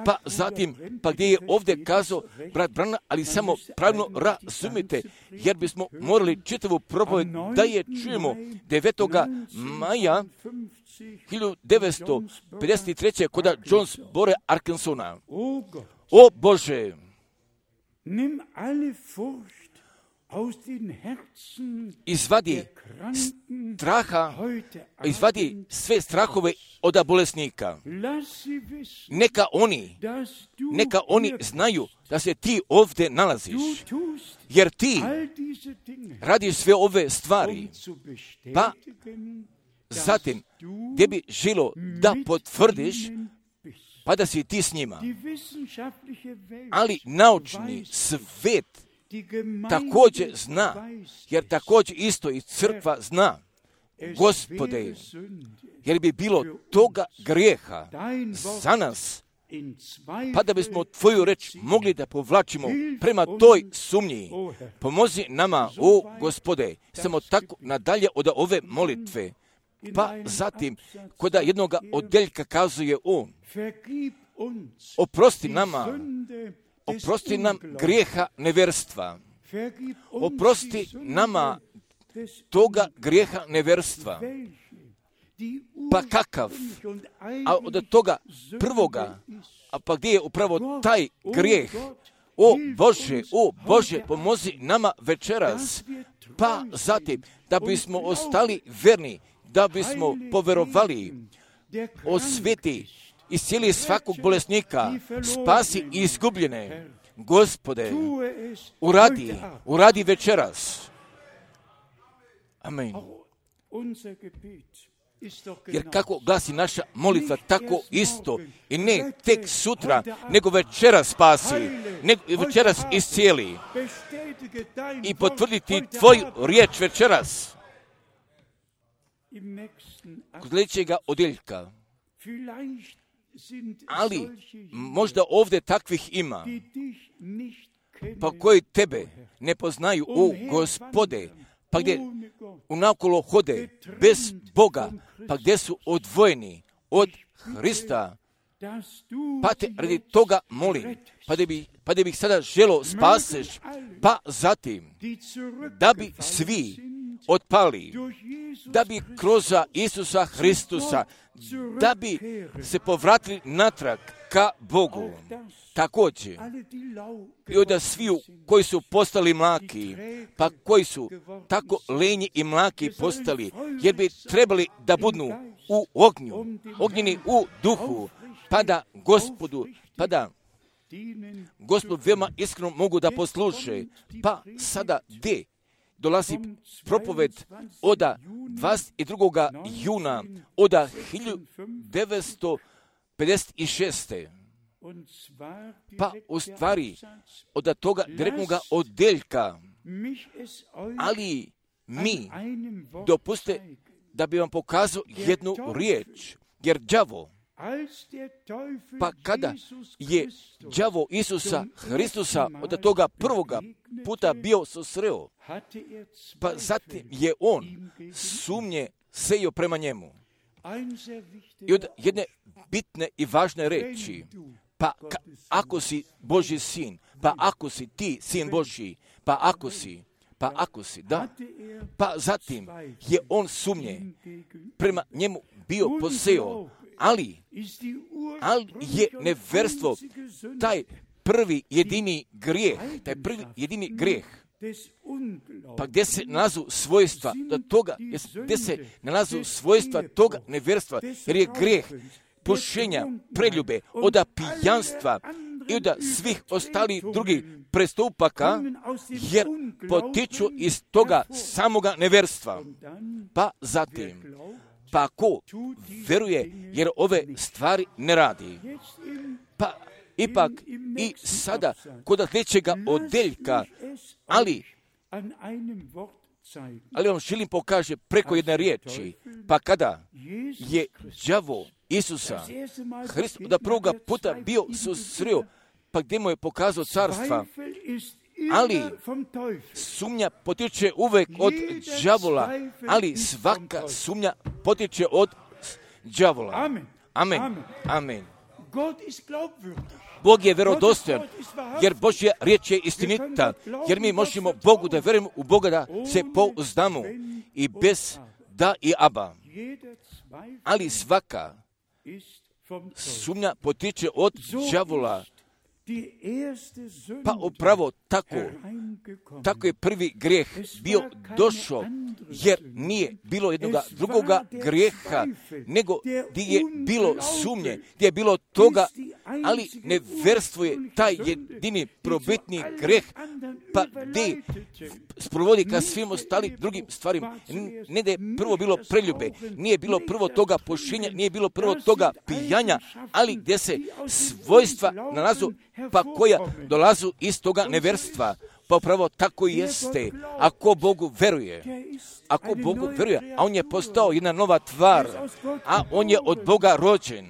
Pa zatim, pa gdje je ovdje kazao brat Branham, ali samo pravilno razumite, jer bismo morali čitavu propoved da je čujemo devetog maja hiljadu devetsto pedeset treće kod Jonesboro, Arkansasa. O Bože, izvadi straha, izvadi sve strahove od bolesnika. Neka oni, neka oni znaju da se ti ovdje nalaziš, jer ti radiš sve ove stvari, pa zatim gdje bi želo da potvrdiš, pa da si ti s njima. Ali naučni svet također zna, jer također isto i crkva zna, Gospode, jer bi bilo toga grijeha za nas, pa da bismo tvoju reč mogli da povlačimo prema toj sumnji. Pomozi nama, o Gospode, samo tako nadalje od ove molitve. Pa zatim, koda jednog odeljka kazuje on, oprosti nama, oprosti nam grijeha neverstva, oprosti nama toga grijeha neverstva. Pa kakav? A od toga prvoga, a pa gdje je upravo taj grijeh? O Bože, o Bože, pomozi nama večeras. Pa zatim, da bismo ostali verni, da bismo poverovali, osveti, iscijeli svakog bolesnika, spasi izgubljene. Gospode, uradi, uradi večeras. Amen. Jer kako glasi naša molitva, tako isto. I ne tek sutra, nego večeras spasi, nego večeras iscijeli. I potvrditi tvoju riječ večeras. Kod sljedećega odjeljka. Ali možda ovdje takvih ima, pa koji tebe ne poznaju, o Gospode, pa gdje unakolo hode bez Boga, pa gdje su odvojeni od Hrista, pa te radi toga molim, pa da bi, pa da bih sada želo spaseš, pa zatim da bi svi otpali, da bi kroz Isusa Hristusa, da bi se povratili natrag ka Bogu. Također, i od sviju koji su postali mlaki, pa koji su tako lenji i mlaki postali, jer bi trebali da budnu u ognju, ognjeni u duhu, pa da Gospodu, pa da Gospod veoma iskreno mogu da posluše. Pa sada gdje dolazi propoved od dvadeset drugog juna od hiljadu devetsto pedeset šeste. Pa u stvari od toga direktnog odeljka, ali mi dopuste da bi vam pokazao jednu riječ, jer đavo, pa kada je đavo Isusa Hristusa od toga prvoga puta bio susreo, pa zatim je on sumnje sejao prema njemu. I od jedne bitne i važne reči, pa ka, ako si Božji sin, pa ako si ti sin Božji, pa ako si, pa ako si, da, pa zatim je on sumnje prema njemu bio poseo, ali, ali je neverstvo taj prvi jedini grijeh, taj prvi jedini grijeh, pa gdje se nalazu svojstva toga, gdje se nalazu svojstva toga neverstva, jer je grijeh pušenja, preljube, od pijanstva i od svih ostalih drugih prestupaka, jer potiču iz toga samoga neverstva. Pa zatim, pa ko veruje, jer ove stvari ne radi, pa ipak i sada kod sljedećega odeljka, ali, ali vam želim pokaže preko jedne riječi, pa kada je đavo Isusa Hrista da prvoga puta bio susreo, pa gdje mu je pokazao carstva, ali sumnja potiče uvek od đavola, ali svaka sumnja potiče od đavola. Amen. Amen. Bog je vjerodostojan, jer Božja riječ je istinita, jer mi možemo Bogu da vjerujemo u Boga, da se pouzdamo i bez da i aba. Ali svaka sumnja potiče od đavola, pa upravo tako, tako je prvi grijeh bio došao, jer nije bilo jednoga drugoga grijeha, nego gdje je bilo sumnje, gdje je bilo toga, ali neverstvo je taj jedini probitni grijeh, pa gdje sprovodi ka svim ostali drugim stvarima. Ne da je prvo bilo preljube, nije bilo prvo toga pošinja, nije bilo prvo toga pijanja, ali gdje se svojstva nalazu, pa koja dolazu iz toga neverstva. Pa upravo tako i jeste. Ako Bogu veruje, ako Bogu veruje, a on je postao jedna nova tvar, a on je od Boga rođen,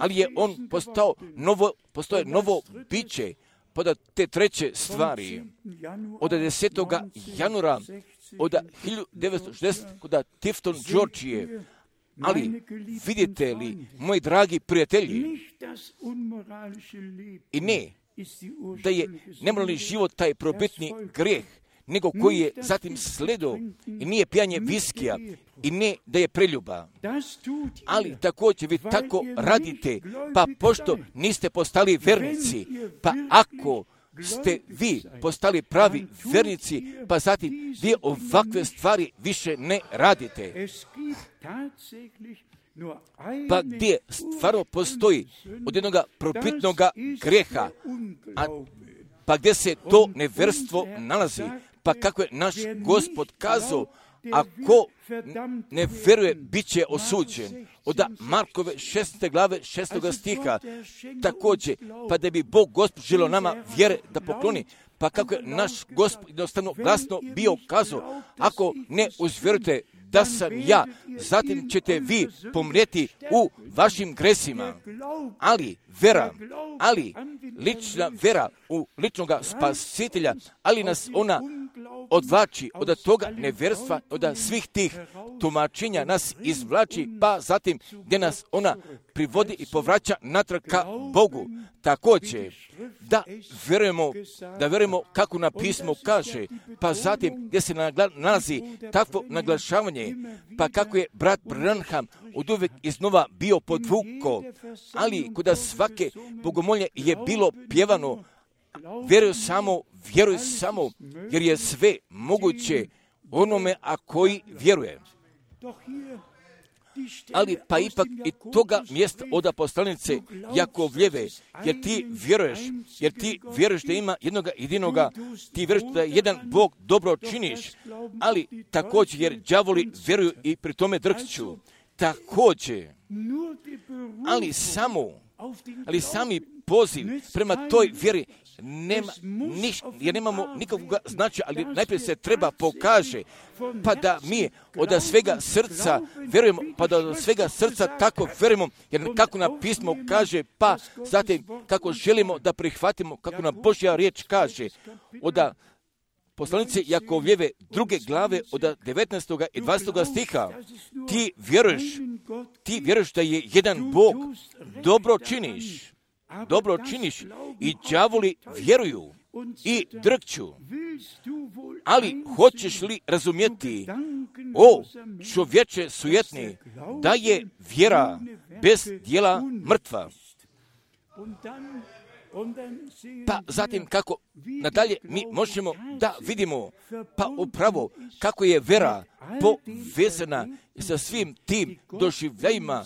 ali je on postao novo, postoje novo biće, pod te treće stvari, od desetoga januara, od hiljadu devetsto šezdeset. kod Tifton Georgije. Ali vidite li, moji dragi prijatelji, i ne, da je nemoralni život taj probitni grijeh, nego koji je zatim slijedio, i nije pijanje viskija, i ne da je preljuba. Ali također vi tako radite, pa pošto niste postali vernici, pa ako ste vi postali pravi vernici, pa zatim vi ovakve stvari više ne radite. Pa gdje stvarno postoji od jednog probitnog grijeha, a pa gdje se to neverstvo nalazi, pa kako je naš Gospod kazao, ako ne vjeruje, bit će osuđen. Od Markove šeste glave šestoga stiha, također, pa da bi Bog Gospod želio nama vjere da pokloni, pa kako je naš Gospod jednostavno glasno bio kazao, ako ne uzvjerujete da sam ja, zatim ćete vi pomrijeti u vašim gresima. Ali vera, ali lična vera u ličnog spasitelja, ali nas ona odvlači od toga neverstva, od svih tih tumačenja nas izvlači, pa zatim gdje nas ona privodi i povraća natrag ka Bogu. Također, da vjerujemo, da vjerujemo kako na pismo kaže, pa zatim gdje se nalazi takvo naglašavanje, pa kako je brat Branham od uvijek iznova bio podvuko, ali kod svake bogomolje je bilo pjevano, vjeruj samo, vjeruj samo, jer je sve moguće onome a koji vjeruje. Ali pa ipak i toga mjesta od poslanice Jakovljeve, jer ti vjeruješ, jer ti vjeruješ da ima jednog jedinoga, ti vjeruješ da jedan Bog dobro činiš, ali također jer đavoli vjeruju i pri tome drhću. Također, ali samo, ali sami poziv prema toj vjeri nema niš, jer nemamo nikakvog značaja, ali najprije se treba pokaže, pa da mi od svega srca vjerujemo, pa da od svega srca tako vjerujemo, jer kako nam pismo kaže, pa zatim kako želimo da prihvatimo, kako nam Božja riječ kaže, od poslanice Jakovljeve druge glave od devetnaestog i dvadesetog stiha, ti vjeruješ, ti vjeruješ da je jedan Bog, dobro činiš, dobro činiš i đavoli vjeruju i drhću. Ali hoćeš li razumjeti, o čovječe sujetni, da je vjera bez djela mrtva? Pa zatim kako nadalje mi možemo da vidimo, pa upravo kako je vera povezana sa svim tim doživljajima,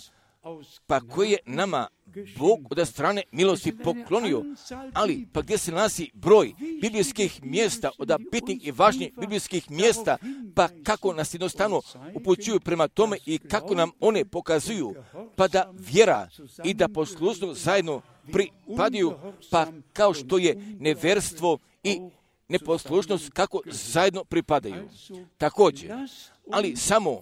pa koje je nama Bog od strane milosti poklonio, ali pa gdje se nalazi broj biblijskih mjesta, od bitnih i važnih biblijskih mjesta, pa kako nas jednostavno upućuju prema tome i kako nam one pokazuju, pa da vjera i da poslušnost zajedno pripadaju, pa kao što je neverstvo i neposlušnost kako zajedno pripadaju. Također, ali samo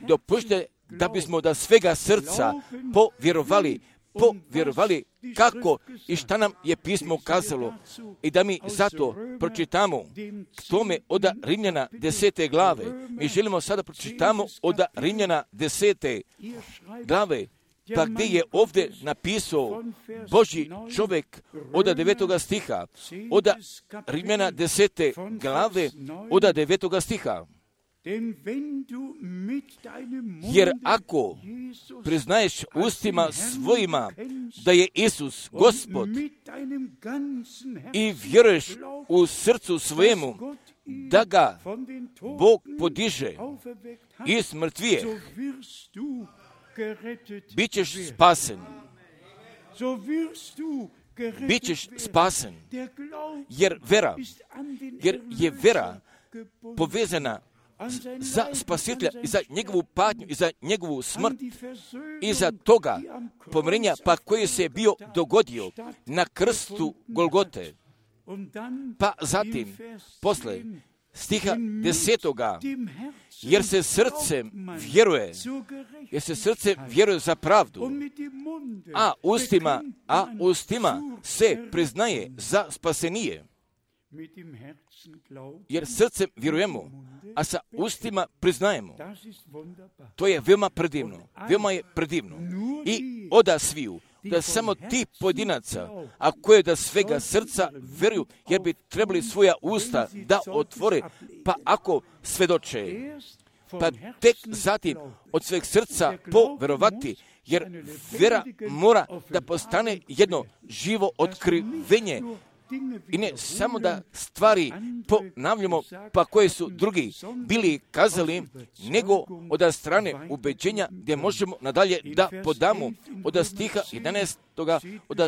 dopušte da bismo da svega srca povjerovali, povjerovali kako i šta nam je pismo kazalo i da mi zato pročitamo tome od Rimljana desete glave. Mi želimo sada pročitamo od Rimljana desete glave, Pa gdje je ovdje napisao Božji čovjek od devetoga stiha, od Rimljana desete glave, od devetoga stiha. Jer ako priznaješ ustima svojima da je Isus Gospod i vjeruješ u srcu svojemu da ga Bog podiže iz mrtvije, bit ćeš spasen. Bit ćeš spasen. Jer vera, jer je vera povezana za spasitelja i za njegovu patnju i za njegovu smrt i za toga pomirenja pa koji se je bio dogodio na krstu Golgote. Pa zatim, posle stiha desetoga, jer se srcem vjeruje, jer se srcem vjeruje za pravdu, a ustima, a ustima se priznaje za spasenije. Jer srcem vjerujemo, a sa ustima priznajemo. To je veoma predivno. Veoma je predivno. I oda sviju, da samo ti pojedinaca, a koje da svega srca vjeruju, jer bi trebali svoja usta da otvore, pa ako svedoče, pa tek zatim od sveg srca poverovati, jer vjera mora da postane jedno živo otkrivenje, i ne samo da stvari ponavljamo pa koje su drugi bili kazali, nego od strane ubeđenja gdje možemo nadalje da podamo od stiha jedanaestoga, od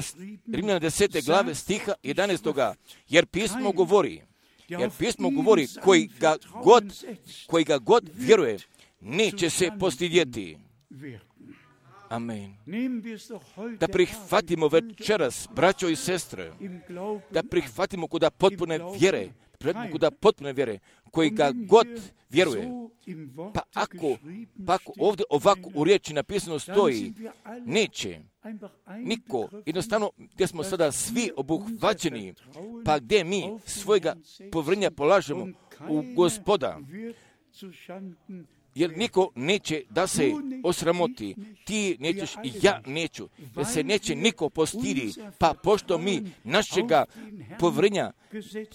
Rimljana desete glave stiha jedanaestoga, jer pismo govori, jer pismo govori koji ga god, koji ga god vjeruje, neće se postidjeti. Amen. Da prihvatimo večeras, braćo i sestre, da prihvatimo kuda potpune vjere, kuda potpune vjere, koji ga god vjeruje. Pa ako, pa ako ovdje ovako u riječi napisano stoji, neće niko, jednostavno gdje smo sada svi obuhvaćeni, pa gdje mi svojega povjerenja polažemo u Gospoda, jer niko neće da se osramoti, ti nećeš i ja neću, jer se neće niko postidi, pa pošto mi našega povjerenja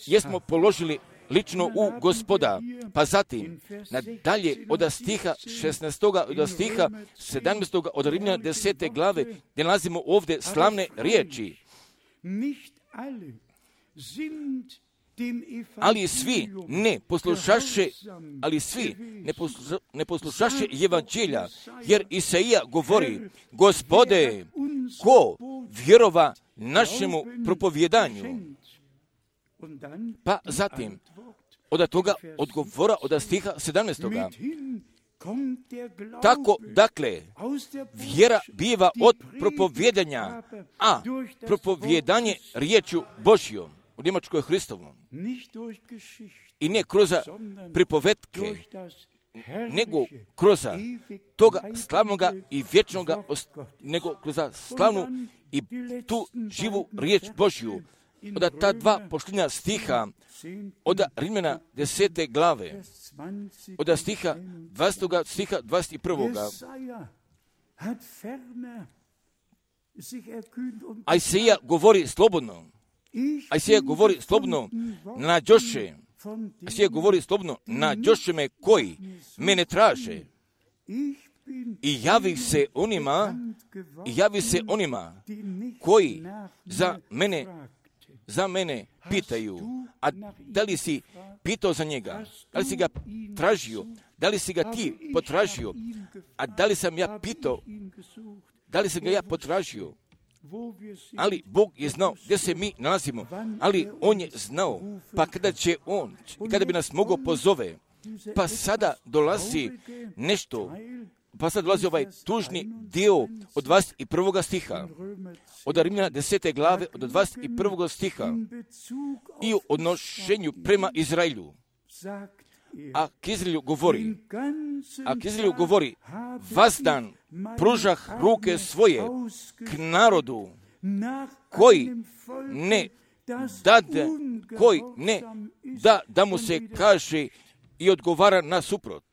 jesmo položili lično u Gospoda, pa zatim nadalje od stiha šesnaestoga, od stiha sedamnaestoga, od Rimljana desete glave, gdje nalazimo ovdje slavne riječi. Ali svi ne poslušaše, ali svi ne, posluša, ne poslušaše evanđelja, jer Isaija govori, Gospode, ko vjerova našemu propovjedanju? Pa zatim, od toga odgovora od stiha sedamnaestoga. Tako, dakle, vjera biva od propovjedanja, a propovjedanje riječju Božjom, u Njemačkoj Hristovom. I ne kroz pripovetke, nego kroz toga slavnoga i vječnoga, nego kroz slavnu i tu živu riječ Božju. Od ta dva pošljenja stiha, od Rimljana desete glave, od stiha dvastog stiha dvadeset prvoga. A Isaija govori slobodno. A Isaija govori slobodno na Đoše. A Isaija govori slobodno na Đoše me koji mene traže. I javi se onima, i javi se onima koji za mene, za mene pitaju. A da li si pitao za njega? Da li si ga tražio? Da li si ga ti potražio? A da li sam ja pitao? Da li sam ga ja potražio? Ali Bog je znao gdje se mi nalazimo, ali On je znao, pa kada će On, kada bi nas mogao pozove, pa sada dolazi nešto, pa sada dolazi ovaj tužni dio od dvadeset prvoga stiha, od Rimljana desete glave, od dvadeset prvoga stiha, i o odnošenju prema Izraelju. A k Izraelju govori, a k Izraelju govori, vazdan pružah ruke svoje k narodu koji ne dade, koji ne da, da mu se kaže i odgovara nasuprot.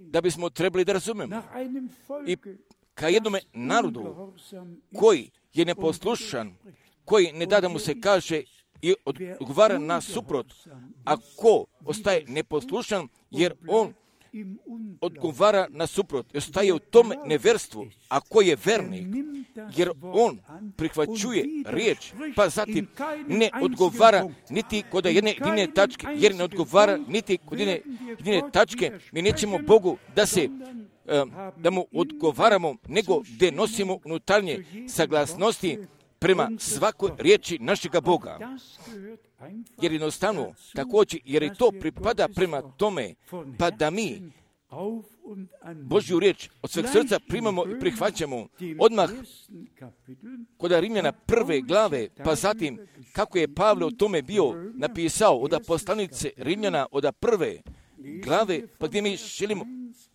da bismo trebali da razumemo. I ka jednome narodu koji je neposlušan, koji ne da da mu se kaže i odgovara na suprot, a ko ostaje neposlušan, jer on odgovara na suprot, ostaje u tom neverstvu, a ko je vernik, jer on prihvaćuje riječ, pa zatim ne odgovara niti kod jedne jedine tačke, jer ne odgovara niti kod jedne jedine tačke, mi nećemo Bogu da se da mu odgovaramo, nego da nosimo unutarnje saglasnosti prema svakoj riječi našega Boga. Jer jednostavno, također, jer i to pripada prema tome, pa da mi Božju riječ od sveg srca primamo i prihvaćamo odmah kod Rimljana prve glave, pa zatim kako je Pavle o tome bio napisao od poslanice Rimljana od prve glave, pa gdje mi želimo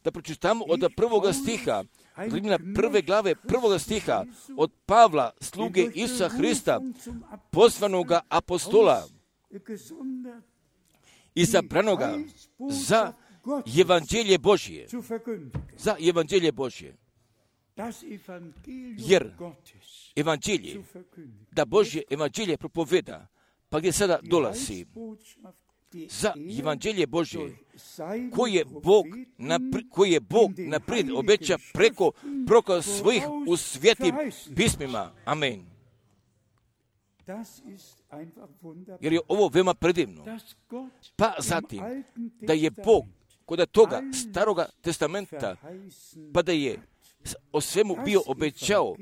da pročitamo od prvoga stiha, Rimljana prve glave prvoga stiha, od Pavla, sluge Isusa Hrista, poslanoga apostola, izabranoga za evanđelje Božje, za evanđelje Božje, jer evanđelje, da Božje evanđelje propoveda, pa gdje sada dolazi, za evanđelje Božje, koje je Bog, napri, koje je Bog naprijed obeća preko proko svojih u svetim pismima. Amen. Jer je ovo veoma predivno. Pa zatim, da je Bog kod toga staroga testamenta, pa da je o svemu bio obećao,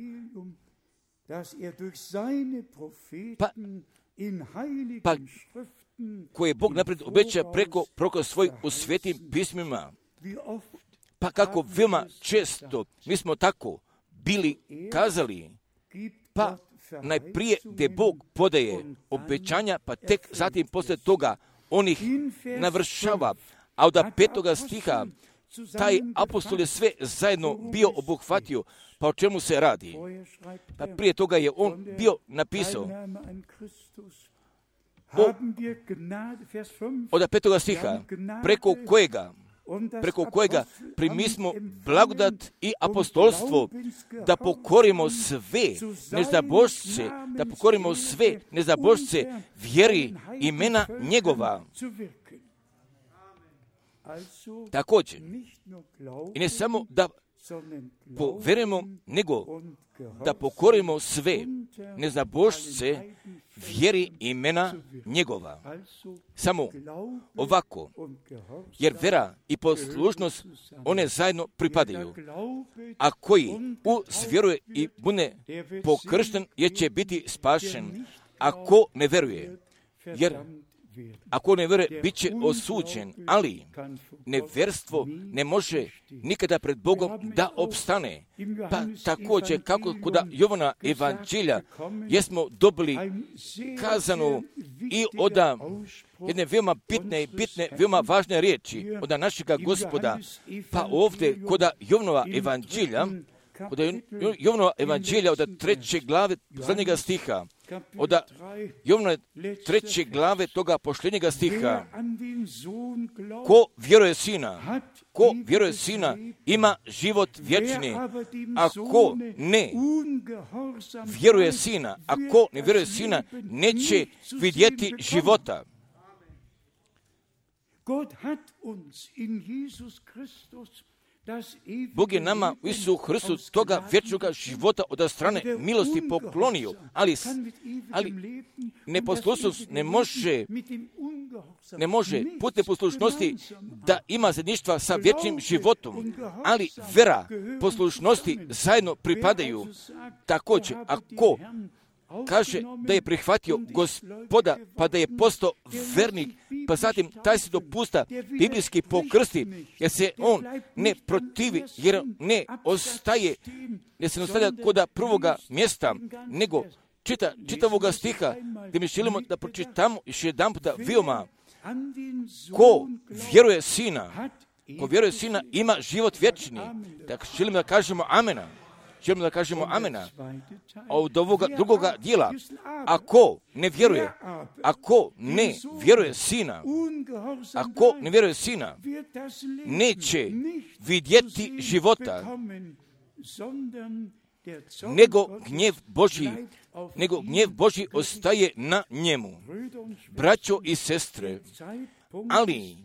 pa, pa koje je Bog naprijed obeća preko proko svojih u svetim pismima. Pa kako veoma često mi smo tako bili kazali, pa najprije gdje Bog podaje obećanja, pa tek zatim poslije toga on ih navršava. A od petoga stiha taj apostol je sve zajedno bio obuhvatio. Pa o čemu se radi? Pa prije toga je on bio napisao o, od petoga stiha, preko kojega preko kojega primismo blagodat i apostolstvo, da pokorimo sve nezabožce, da pokorimo sve nezabožce vjeri imena njegova. Također, i ne samo da poverujemo, nego da pokorimo sve nezabožce vjeri imena njegova. Samo ovako, jer vera i poslušnost, one zajedno pripadaju. A koji uzvjeruje i bude pokršten, jer će biti spašen. Ako ne veruje, jer ako ne veruje, bit će osuđen, ali neverstvo ne može nikada pred Bogom da opstane. Pa također, kako kod Jovana evanđelja, jesmo dobili kazano i od jedne veoma bitne i bitne, veoma važne riječi od našega Gospoda. Pa ovdje, kod Jovanova evanđelja, od Jovanova evanđelja od treće glave zadnjega stiha, od Jovana treće glave toga posljednjega stiha, ko vjeruje sina, ko vjeruje sina ima život vječni, a ko ne vjeruje sina, a ko ne vjeruje sina neće vidjeti života. Bog je nama u Isusu Hristu toga vječnog života od strane milosti poklonio, ali, ali neposlušnost ne može, ne može put neposlušnosti da ima zajedništva sa vječnim životom, ali vera, poslušnosti zajedno pripadaju. Također, ako kaže da je prihvatio Gospoda, pa da je postao vernik, pa zatim taj se dopusta biblijski pokrsti, jer se on ne protivi, jer ne ostaje, jer se ne ostavlja kod prvoga mjesta, nego čita, čitavoga stiha, gdje mi želimo da pročitamo još jedan puta veoma, ko vjeruje sina, ko vjeruje sina ima život vječni. Tako želimo da kažemo amena. želimo da kažemo amena. Od ovoga drugoga dijela, ako ne vjeruje, ako ne vjeruje sina, ako ne vjeruje sina, neće vidjeti života, nego gnjev Božji, nego gnjev Božji ostaje na njemu. Braćo i sestre, ali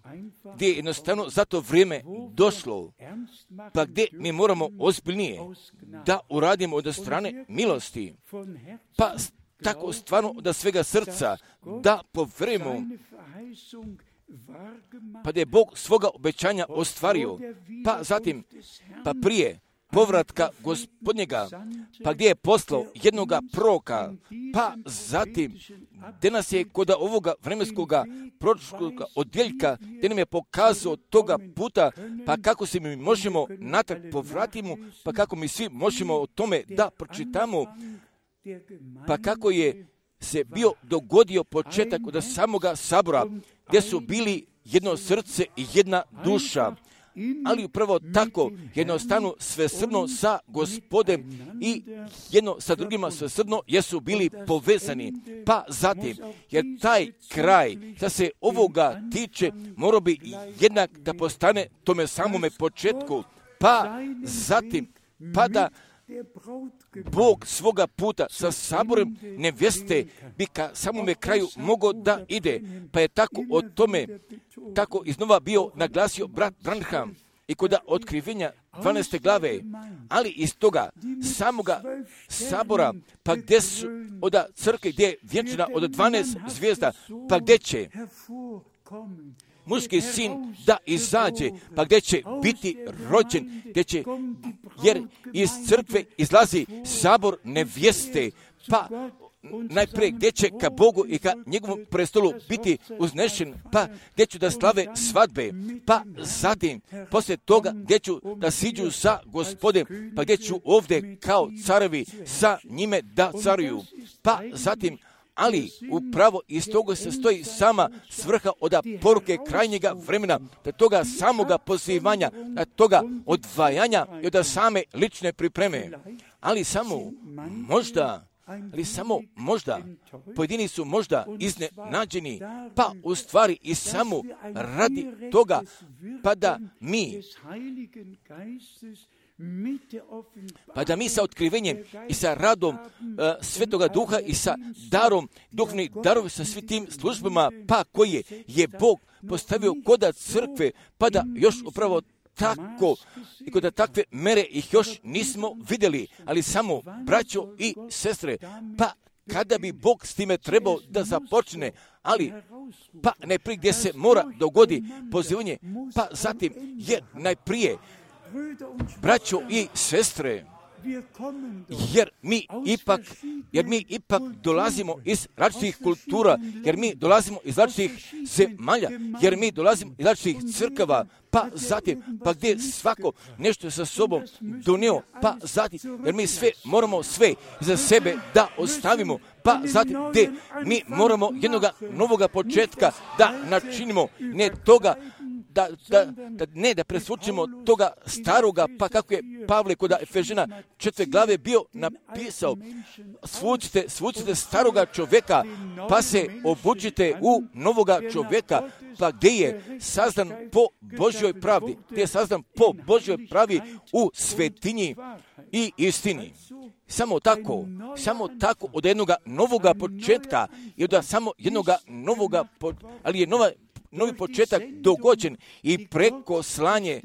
gdje je jednostavno za to vrijeme došlo, pa gdje mi moramo ozbiljnije da uradimo od strane milosti, pa tako stvarno od svega srca da povjerujemo, pa da je Bog svoga obećanja ostvario, pa zatim, pa prije povratka Gospodnjega, pa gdje je poslao jednoga proroka, pa zatim gdje nas je kod ovoga vremenskoga proročkoga odjeljka, gdje nam je pokazao toga puta, pa kako se mi možemo natrag povratimo, pa kako mi svi možemo o tome da pročitamo, pa kako je se bio dogodio početak od samoga sabora, gdje su bili jedno srce i jedna duša, ali upravo tako jednostavno svesrdno sa Gospodem i jedno sa drugima svesrdno jesu bili povezani. Pa zatim, jer taj kraj, da se ovoga tiče, mora bi jednak da postane tome samome početku. Pa zatim, pa da Bog svoga puta sa saborom nevjeste bi ka samome kraju mogao da ide. Pa je tako o tome, tako iznova bio naglasio brat Branham i kod otkrivenja dvanaeste glave, ali iz toga samoga sabora, pa gdje su od crkve gdje je vjenčana od dvanaest zvijezda, pa gdje će muški sin da izađe, pa gdje će biti rođen, gdje će, jer iz crkve izlazi sabor nevjeste, pa najprije gdje će ka Bogu i ka njegovom prestolu biti uznešen, pa gdje ću da slave svadbe, pa zatim, poslije toga gdje ću da siđu sa Gospodem, pa gdje ću ovdje kao carevi sa njime da caruju, pa zatim, ali upravo iz toga se stoji sama svrha od poruke krajnjega vremena, da toga samoga pozivanja, da toga odvajanja i od same lične pripreme. Ali samo možda, ali samo možda, pojedini su možda iznenađeni, pa u stvari i samo radi toga, pa da mi pa da mi sa otkrivenjem i sa radom uh, Svetoga Duha i sa darom, duhovnih darova, sa svim tim službama, pa koje je Bog postavio koda crkve, pa da još upravo tako i kod takve mere ih još nismo vidjeli, ali samo braćo i sestre, pa kada bi Bog s time trebao da započne, ali pa najprije gdje se mora dogodi pozivanje, pa zatim je najprije braćo i sestre, jer mi ipak, jer mi ipak dolazimo iz različitih kultura, jer mi dolazimo iz različitih zemalja, jer mi dolazimo iz različitih crkava, pa zatim, pa gdje svako nešto sa sobom donio, pa zatim, jer mi sve moramo sve za sebe da ostavimo, pa zatim gdje mi moramo jednoga novoga početka da načinimo, ne toga, Da, da, da ne da presvučimo toga staroga, pa kako je Pavle kod Efežana četvrte glave bio napisao, svučite, svučite staroga čovjeka, pa se obučite u novoga čovjeka, pa gdje je sazdan po Božjoj pravdi, gdje je sazdan po Božjoj pravi u svetinji i istini. Samo tako, samo tako od jednoga novoga početka i od samo jednoga novoga, ali je nova novi početak dogođen i preko slanje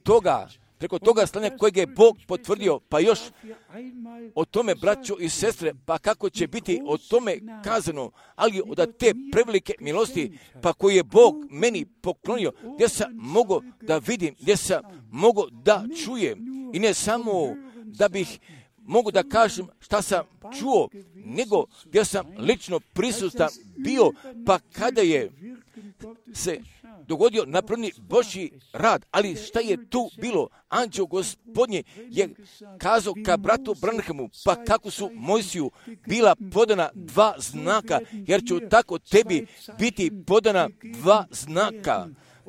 toga, preko toga slanja kojeg je Bog potvrdio, pa još o tome, braćo i sestre, pa kako će biti o tome kazano, ali od te prevelike milosti, pa koji je Bog meni poklonio, gdje sam mogao da vidim, gdje sam mogao da čujem, i ne samo da bih mogu da kažem šta sam čuo, nego gdje sam lično prisutan bio, pa kada je se dogodio napravni Božji rad, ali šta je tu bilo? Anđeo Gospodnji je kazao ka bratu Branhamu, pa kako su Mojsiju bila podana dva znaka, jer će tako tebi biti podana dva znaka.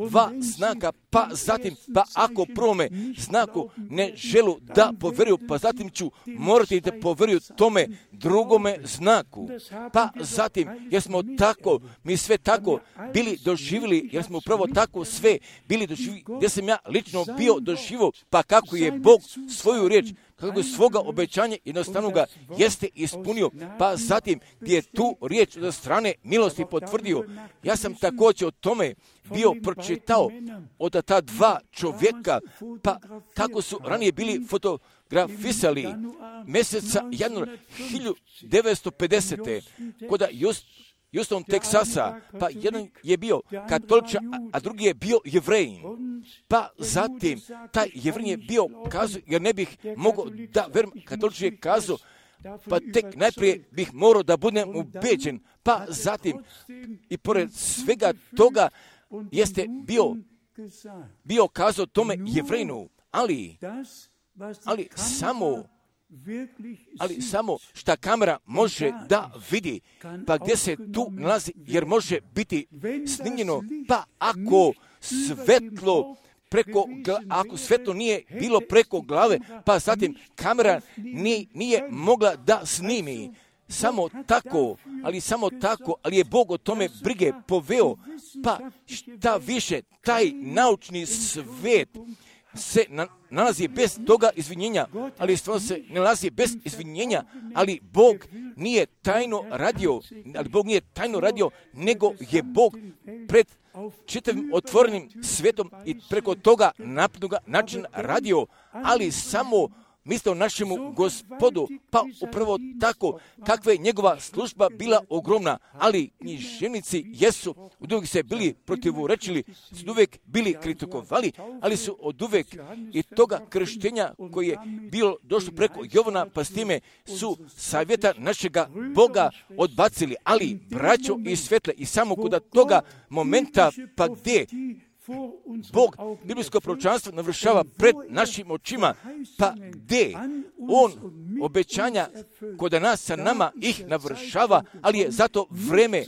dva znaka, pa zatim, pa ako prvome znaku ne želu da poveruju, pa zatim ću morati da poveruju tome drugome znaku. Pa zatim, jer smo tako, mi sve tako bili doživjeli, jer smo upravo tako sve bili doživjeli, gdje sam ja lično bio doživio, pa kako je Bog svoju riječ, kako je svoga obećanja jednostavno ga jeste ispunio, pa zatim gdje je tu riječ od strane milosti potvrdio. Ja sam također o tome bio pročitao od ta dva čovjeka, pa kako su ranije bili fotografisali mjeseca januara hiljadu devetsto pedesete kod Just, Houston, Teksasa, pa jedan je bio katoličan, a drugi je bio Jevrejin. Pa zatim, taj Jevrejin je bio kazao, jer ne bih mogao da verujem, katoličan je kazao, pa tek najprije bih morao da budem ubeđen, pa zatim, i pored svega toga, jeste bio, bio kazao tome Jevrejinu, ali, ali samo, ali samo šta kamera može da vidi, pa gdje se tu nalazi, jer može biti snimljeno, pa ako svetlo preko, ako svetlo nije bilo preko glave, pa zatim kamera nije, nije mogla da snimi. Samo tako, ali samo tako, ali je Bog o tome brige poveo, pa šta više, taj naučni svet se na, nalazi bez toga izvinjenja, ali stvarno se nalazi bez izvinjenja, ali Bog nije tajno radio, ali Bog nije tajno radio, nego je Bog pred čitavim otvorenim svetom i preko toga naprednoga načina radio, ali samo mislio našemu Gospodu, pa upravo tako, kakva je njegova služba bila ogromna, ali književnici jesu od uvijek se bili protivurečili, su uvijek bili kritikovali, ali su od uvijek i toga krštenja koje je bilo došlo preko Jovana, pa s time su savjeta našega Boga odbacili, ali braćo i svetle, i samo kod toga momenta, pa gdje Bog biblijsko proročanstvo navršava pred našim očima, pa gdje On obećanja kod nas sa nama ih navršava, ali je zato vreme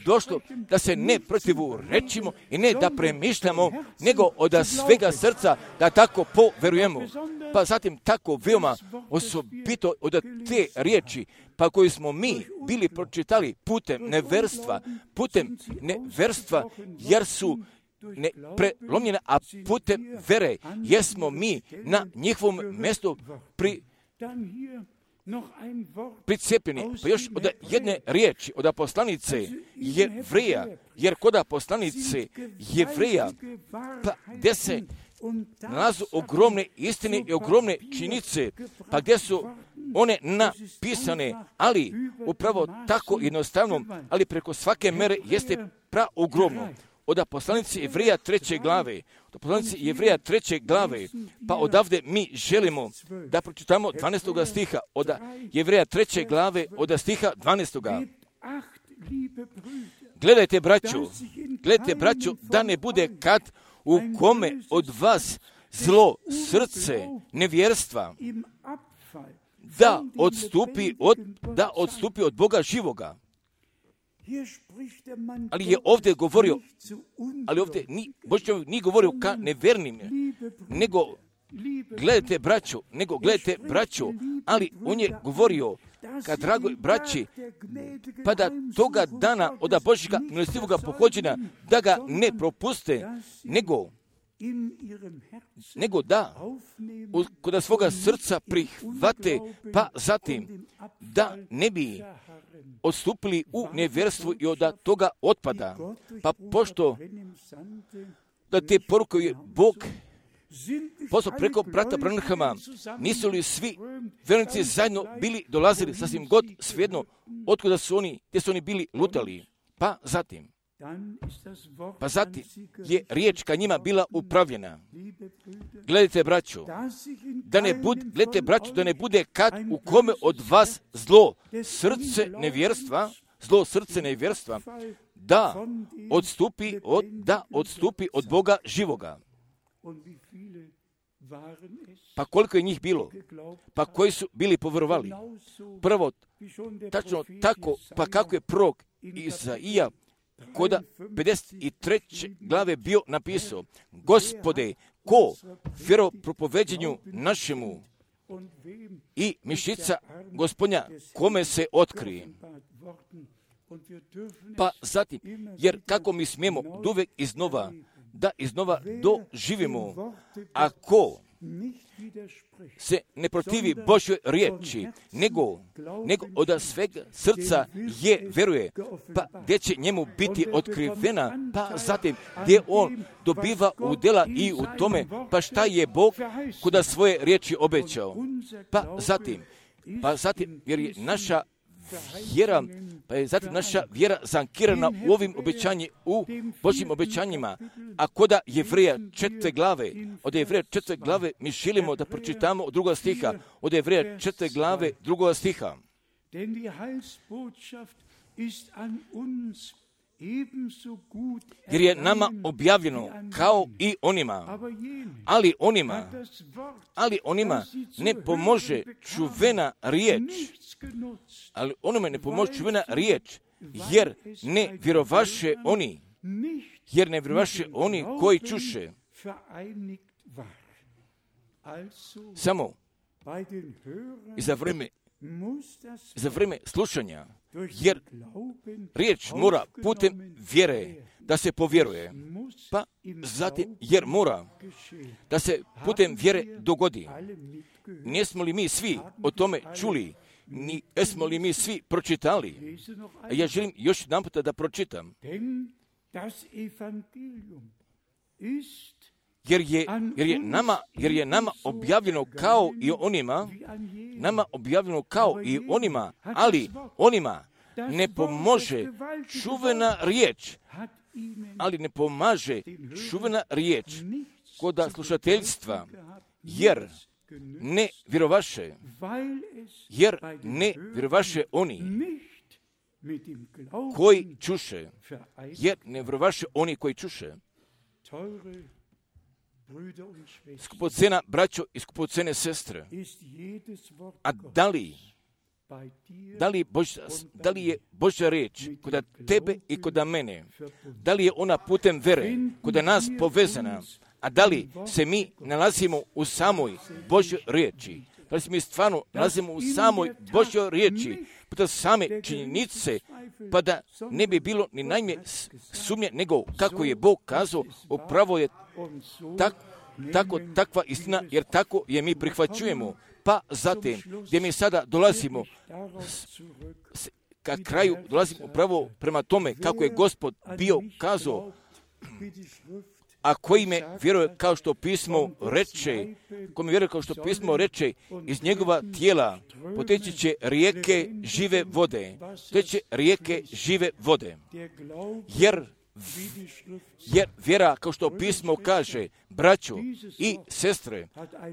došlo da se ne protivurečimo i ne da premišljamo, nego od svega srca da tako poverujemo. Pa zatim tako veoma osobito od te riječi, pa koju smo mi bili pročitali putem neverstva, putem neverstva, jer su ne prelomljene, a putem vere jesmo mi na njihovom mjestu pri, pricepljeni. Pa još od jedne riječi, od poslanice Jevreja, jer kod poslanice Jevreja, pa gdje se nalazu ogromne istine i ogromne činjenice, pa gdje su one napisane, ali upravo tako jednostavno, ali preko svake mere jeste praogromno. Od poslanice Jevreja treće glave, od poslanice Jevreja treće glave, pa odavde mi želimo da pročitamo dvanaestoga stiha, od Jevreja treće glave, od stiha dvanaestoga. Gledajte, braćo, gledajte, braćo, da ne bude kad u kome od vas zlo srce nevjerstva, da odstupi od, da odstupi od Boga živoga. Ali je ovdje govorio, ali ovdje ni, Božji čovjek nije govorio ka nevernim, nego gledajte braćo, nego gledajte braćo, ali on je govorio ka dragoj braći, pa da toga dana od Božjega milostivoga pohođenja da ga ne propuste, nego nego da kod svoga srca prihvate, pa zatim da ne bi odstupili u nevjerstvo i od toga otpada. Pa pošto da te poruke je Bog poslao preko brata Branhama, nisu li svi vjernici zajedno bili dolazili sasvim god svejedno otkuda su oni, gdje su oni bili lutali. Pa zatim Pa zatim je riječ ka njima bila upravljena. Gledajte, braćo, da ne bude, gledajte, braćo, da ne bude kad u kome od vas zlo srce nevjerstva, zlo srce nevjerstva, da odstupi od, da odstupi od Boga živoga. Pa koliko je njih bilo? Pa koji su bili povjerovali? Prvo, tačno tako, pa kako je prorok Izaija kod pedeset treće glave bio napisao: Gospode, ko vjeropropoveđenju našemu i mišica Gospodnja kome se otkrije. Pa zatim, jer kako mi smijemo uvijek iznova, da iznova doživimo, ako se ne protivi Božjoj riječi, nego, nego od svega srca je vjeruje, pa gdje će njemu biti otkrivena, pa zatim gdje on dobiva udjela i u tome, pa šta je Bog kuda svoje riječi obećao. Pa zatim, pa zatim, jer je naša vjera, pa je zatim naša vjera zankirana u ovim obećanjima, u Božjim obećanjima. A koda Jevreja četvrte glave, od Jevreja četvrte glave mi želimo da pročitamo od drugoga stiha, od Jevreja četvrte glave drugoga stiha. Jer je nama objavljeno kao i onima, ali onima, ali onima ne pomože čuvena riječ, ali onome ne pomože čuvena riječ, jer ne vjerovaše oni, jer ne vjerovaše oni koji čuše. Samo i za vrijeme, za vrijeme slušanja, jer riječ mora putem vjere da se povjeruje, pa zatim jer mora da se putem vjere dogodi. Nismo li mi svi o tome čuli? Ni, jesmo li mi svi pročitali? Ja želim još jedan puta da pročitam. Jer je, jer je nama, jer je nama objavljeno kao i onima, nama objavljeno kao i onima, ali onima ne pomože čuvena riječ, ali ne pomaže čuvena riječ koda slušateljstva, jer ne vjerovaše, jer ne vjerovaše oni koji čuše, jer ne vjerovaše oni koji čuše. Skupocena braćo i skupocene sestre, a da li, da li, Bož, da li je Božja riječ koda tebe i koda mene, da li je ona putem vere koda nas povezana, a da li se mi nalazimo u samoj Božjoj riječi, da li se mi stvarno nalazimo u samoj Božjoj riječi, puta same činjenice, pa da ne bi bilo ni najmanje sumnje, nego kako je Bog kazao, upravo je tak, tako, takva istina, jer tako je mi prihvaćujemo. Pa zatim, gdje mi sada dolazimo s, s, ka kraju, dolazimo upravo prema tome kako je Gospod bio kazao, a koji me vjeruje kao što pismo reče, ko me vjeruje kao što pismo reče, iz njegova tijela poteći će rijeke žive vode, poteći rijeke žive vode, jer jer vjera, kao što pismo kaže, braćo i sestre,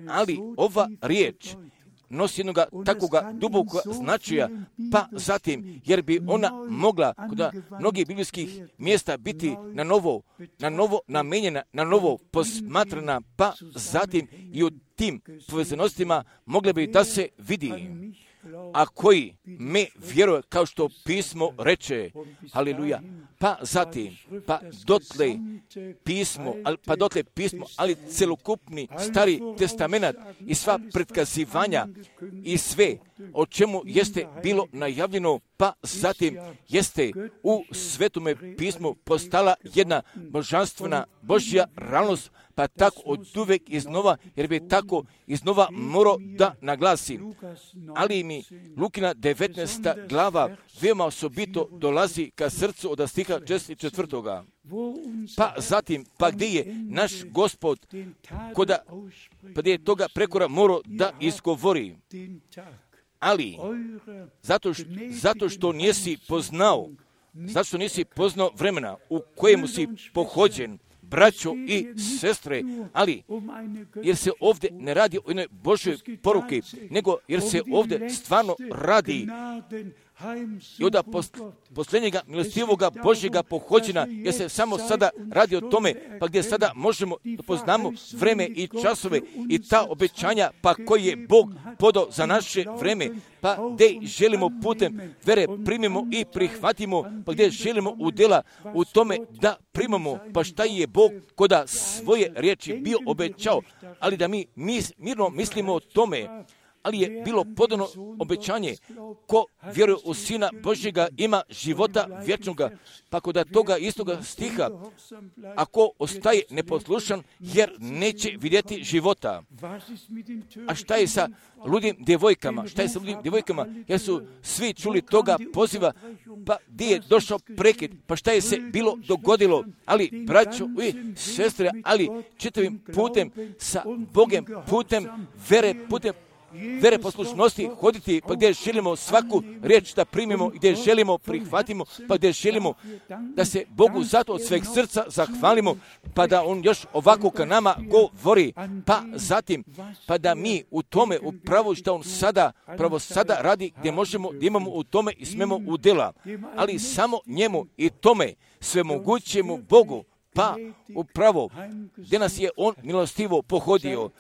ali ova riječ nosi jednoga takvoga dubokog značaja, pa zatim, jer bi ona mogla kod mnogih biblijskih mjesta biti na novo, na novo namenjena, na novo posmatrana, pa zatim i u tim povezanostima mogle bi da se vidi. A koji me vjeruje kao što pismo reče, haleluja, pa zatim, pa dotle pismo, pa dotle pismo, ali celokupni stari testament i sva predkazivanja i sve o čemu jeste bilo najavljeno, pa zatim jeste u svetome pismu postala jedna božanstvena Božja realnost, pa tako od uvek iznova, jer bi tako iznova morao da naglasim. Ali mi Lukina devetnaesta glava veoma osobito dolazi ka srcu od stiha četrdeset četvrtoga. Pa zatim, pa gdje je naš Gospod, koda, pa gdje je toga prekora morao da izgovori. Ali, zato što, zato što nisi poznao, zato što nisi poznao vremena u kojemu si pohođen, braćo i sestre, ali jer se ovdje ne radi o jednoj Božoj poruki, nego jer se ovdje stvarno radi i od posljednjega milostivoga Božjega pohođena, jer se samo sada radi o tome, pa gdje sada možemo da poznamo vreme i časove i ta obećanja, pa koji je Bog podao za naše vreme, pa gdje želimo putem vere primimo i prihvatimo, pa gdje želimo udjela u tome da primamo, pa šta je Bog koda svoje riječi bio obećao, ali da mi mis, mirno mislimo o tome, ali je bilo podano obećanje, ko vjeruje u Sina Božjega ima života vječnoga, pa kod toga istoga stiha, ako ostaje neposlušan, jer neće vidjeti života. A šta je sa ludim djevojkama? Šta je sa ludim djevojkama? Jer su svi čuli toga poziva, pa gdje je došao prekid, pa šta je se bilo dogodilo? Ali, braćo i sestre, ali čitavim putem, sa Bogem, putem vere, putem vere poslušnosti hoditi, pa gdje želimo svaku riječ da primimo, gdje želimo prihvatimo, pa gdje želimo da se Bogu zato od sveg srca zahvalimo, pa da On još ovako ka nama govori, pa zatim, pa da mi u tome upravo što On sada, pravo sada radi, gdje možemo, gdje imamo u tome i smemo udjela, ali samo njemu i tome svemogućemu Bogu, pa upravo gdje nas je On milostivo pohodio,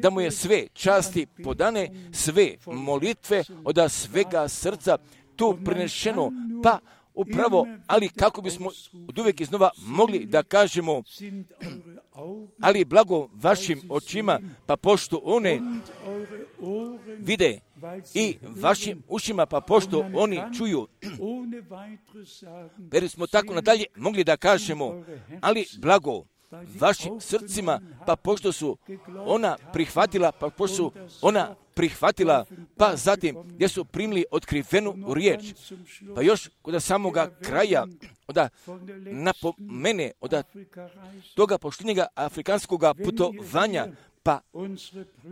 da mu je sve časti podane, sve molitve od svega srca tu prenešeno, pa upravo, ali kako bismo od uvijek iznova mogli da kažemo, ali blago vašim očima, pa pošto one vide i vašim ušima, pa pošto oni čuju, jer smo tako nadalje mogli da kažemo, ali blago vašim srcima, pa pošto su ona prihvatila, pa pošto su ona prihvatila, pa zatim gdje su primili otkrivenu riječ, pa još kod samoga kraja, da napomene od toga poštenjega afrikanskog putovanja, pa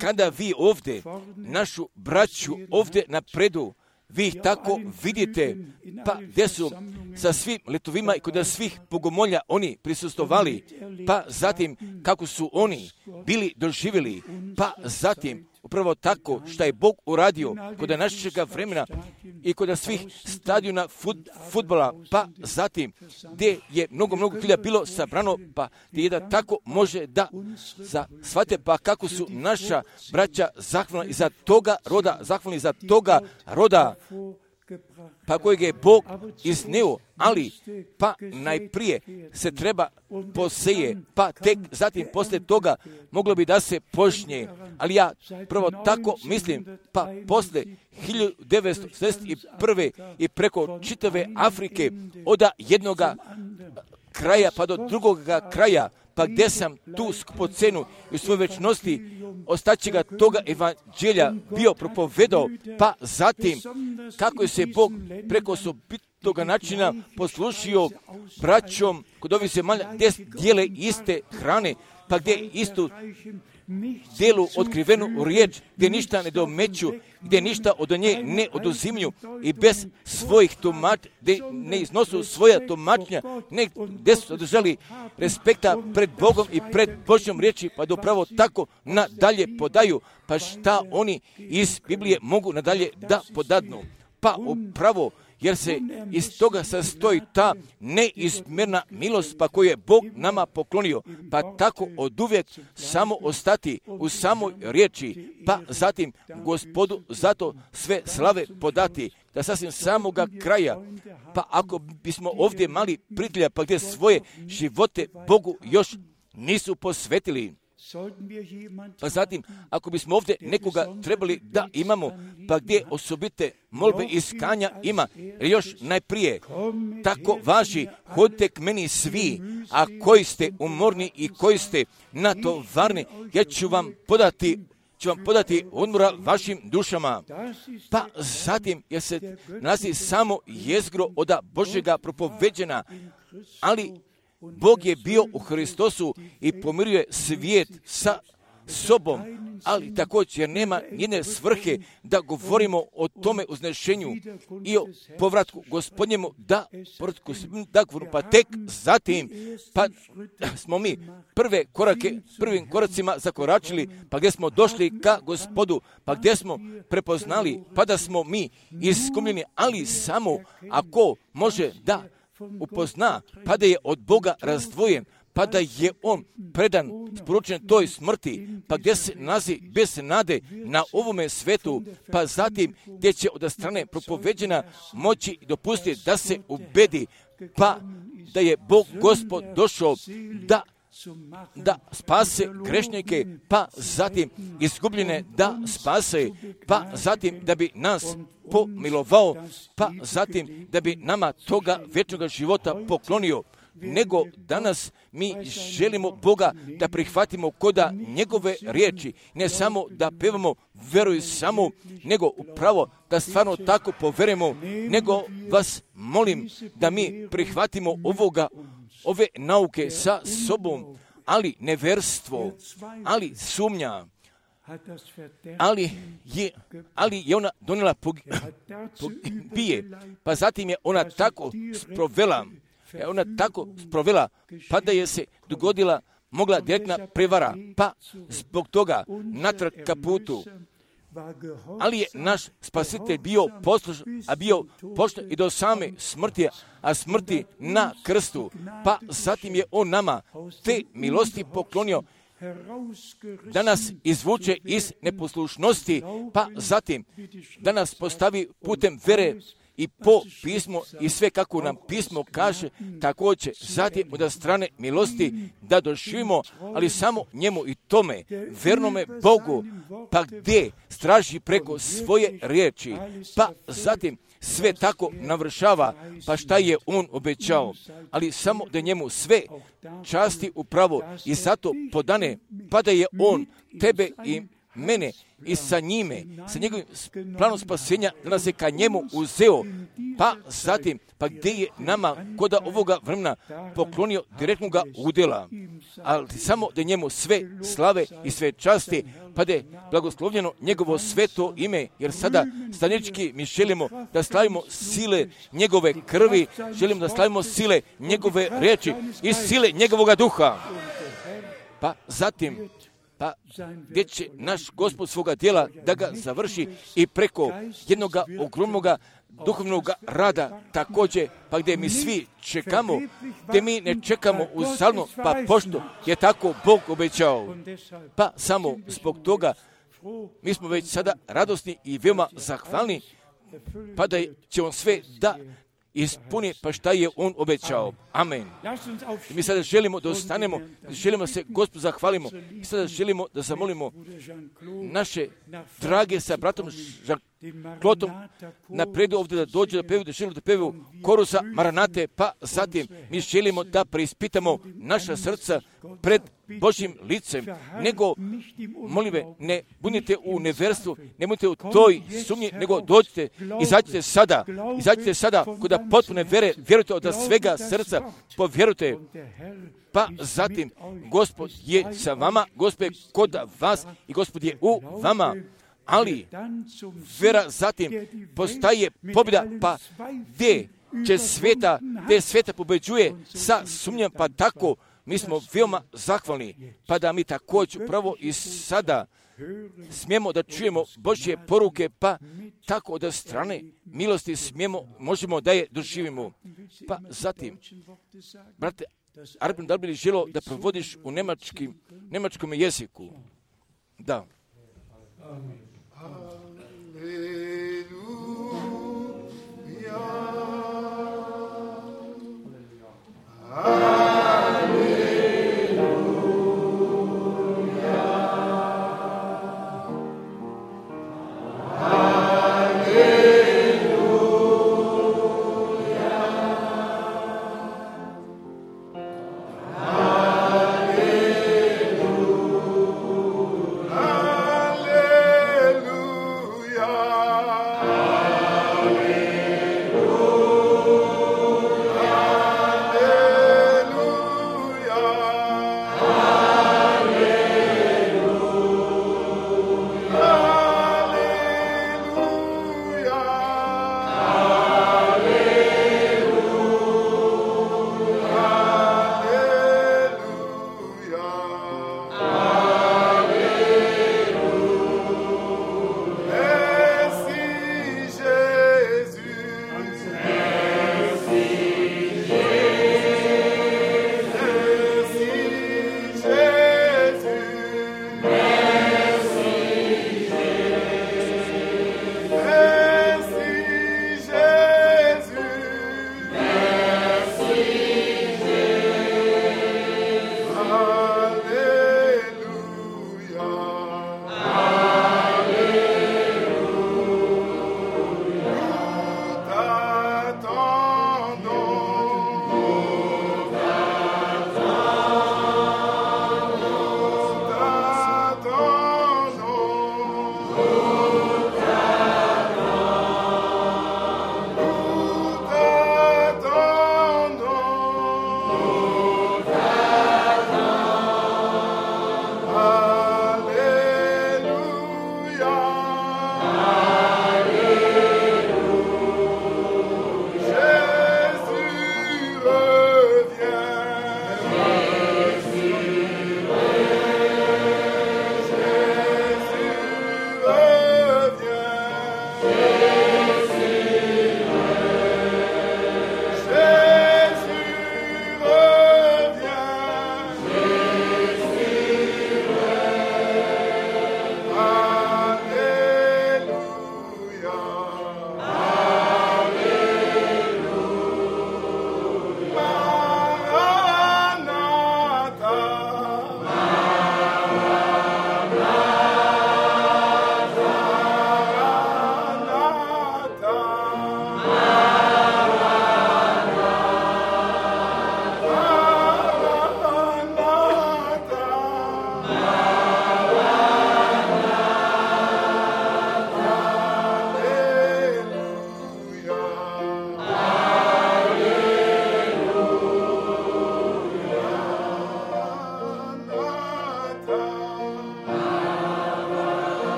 kada vi ovdje, našu braću ovdje napredu, vi ih tako vidite, pa gdje su sa svim letovima i kod svih bogomolja oni prisustovali, pa zatim kako su oni bili doživjeli, pa zatim upravo tako što je Bog uradio kod našeg vremena i kod svih stadiona fut, futbola, pa zatim gdje je mnogo, mnogo hilja bilo sabrano, pa gdje jedan tako može da za shvate, pa kako su naša braća zahvalni i za toga roda, zahvalni za toga roda, pa kojeg je Bog iznio, ali pa najprije se treba poseje, pa tek zatim poslije toga moglo bi da se počne, ali ja prvo tako mislim, pa poslije hiljadu devetsto sedamdeset prve i preko čitave Afrike od jednoga kraja pa do drugoga kraja, pa gdje sam tu skupocenu i u svojoj večnosti ostaćega toga evanđelja bio propovedao, pa zatim kako je se Bog preko osobitoga načina poslušio braćom kod ovih zemalja gdje dijele iste hrane, pa gdje istu dijelu otkrivenu riječ, gdje ništa ne domeću, gdje ništa od nje ne oduzimlju i bez svojih tumačenja, gdje ne iznosu svoja tumačenja, ne, gdje su održali respekta pred Bogom i pred Božjom riječi, pa da upravo tako nadalje podaju, pa šta oni iz Biblije mogu nadalje da podadnu. Pa upravo jer se iz toga sastoji ta neizmjerna milost pa koju je Bog nama poklonio, pa tako oduvijek samo ostati u samoj riječi, pa zatim Gospodu zato sve slave podati, da sasvim samoga kraja, pa ako bismo ovdje mali prijatelja, pa gdje svoje živote Bogu još nisu posvetili, pa zatim, ako bismo ovdje nekoga trebali da imamo, pa gdje osobite molbe i iskanja ima, još najprije, tako važi, hodite k meni svi, a koji ste umorni i koji ste natovarni, ja ću vam podati ću vam podati odmora vašim dušama. Pa zatim, jer se nalazi samo jezgro od Božjega propoveđena, ali Bog je bio u Hristosu i pomirio je svijet sa sobom, ali također jer nema njene svrhe da govorimo o tome uznešenju i o povratku Gospodnjemu, da povratku da govorimo, pa tek zatim, pa smo mi prve korake, prvim koracima zakoračili, pa gdje smo došli ka Gospodu, pa gdje smo prepoznali, pa da smo mi iskumljeni, ali samo ako može da upozna, pa da je od Boga razdvojen, pa da je on predan, sporučen toj smrti, pa gdje se nalazi bez nade na ovome svetu, pa zatim gdje će od strane propoveđena moći dopustiti da se ubedi, pa da je Bog Gospod došao da da spase grešnike, pa zatim izgubljene da spase, pa zatim da bi nas pomilovao, pa zatim da bi nama toga vječnog života poklonio. Nego danas mi želimo Boga da prihvatimo koda njegove riječi, ne samo da pevamo veruj samo, nego upravo da stvarno tako poverujemo, nego vas molim da mi prihvatimo ovoga, ove nauke sa sobom, ali neverstvo, ali sumnja, ali je, ali je ona donijela pogibije, pa zatim je ona tako sprovela, je ona tako sprovela, pa da je se dogodila mogla direktna prevara, pa zbog toga natrag ka putu. Ali je naš spasitelj bio poslušan, a bio pošten i do same smrti, a smrti na krstu. Pa zatim je on nama te milosti poklonio da nas izvuče iz neposlušnosti, pa zatim da nas postavi putem vere i po pismo i sve kako nam pismo kaže, također zatim od strane milosti da doživimo, ali samo njemu i tome, vernome Bogu, pa gdje straži preko svoje riječi, pa zatim sve tako navršava, pa šta je on obećao, ali samo da njemu sve časti upravo i zato podane, pa da je on tebe i mene i sa njime, sa njegovim planom spasenja, da nas je ka njemu uzeo, pa zatim, pa gdje je nama koda ovoga vremena poklonio direktnoga udjela, ali samo da njemu sve slave i sve časti, pa da je blagoslovljeno njegovo sveto ime, jer sada stanički mi želimo da slavimo sile njegove krvi, želimo da slavimo sile njegove riječi i sile njegovoga duha. Pa zatim, pa gdje će naš Gospod svoga djela da ga završi i preko jednog ogromnog duhovnog rada također, pa gdje mi svi čekamo, gdje mi ne čekamo uzalno, pa pošto je tako Bog obećao. Pa samo zbog toga mi smo već sada radosni i veoma zahvalni, pa da će on sve da ispuni pa šta je on obećao. Amen. I mi sada želimo da ostanemo, želimo se Gospodu zahvalimo i sada želimo da zamolimo naše drage sa bratom Klotom napredu ovdje da dođe da pevaju, da želimo da pevaju korusa Maranate, pa zatim mi želimo da preispitamo naša srca pred Božjim licem, nego, molive, ne budite u neverstvu, ne budite u toj sumnji, nego dođite, izađite sada, izađite sada kod potpune vere, vjerujte od svega srca, povjerujte, pa zatim Gospod je sa vama, Gospod je kod vas i Gospod je u vama. Ali vera zatim postaje pobjeda, pa gdje će sveta, gdje sveta pobeđuje sa sumnjom, pa tako mi smo veoma zahvalni, pa da mi također pravo i sada smijemo da čujemo Božje poruke, pa tako od strane milosti smijemo, možemo da je doživimo. Pa zatim, brate Arben, da li bi želo da provodiš u nemačkim, nemačkom jeziku? Da. Amen. Hallelujah.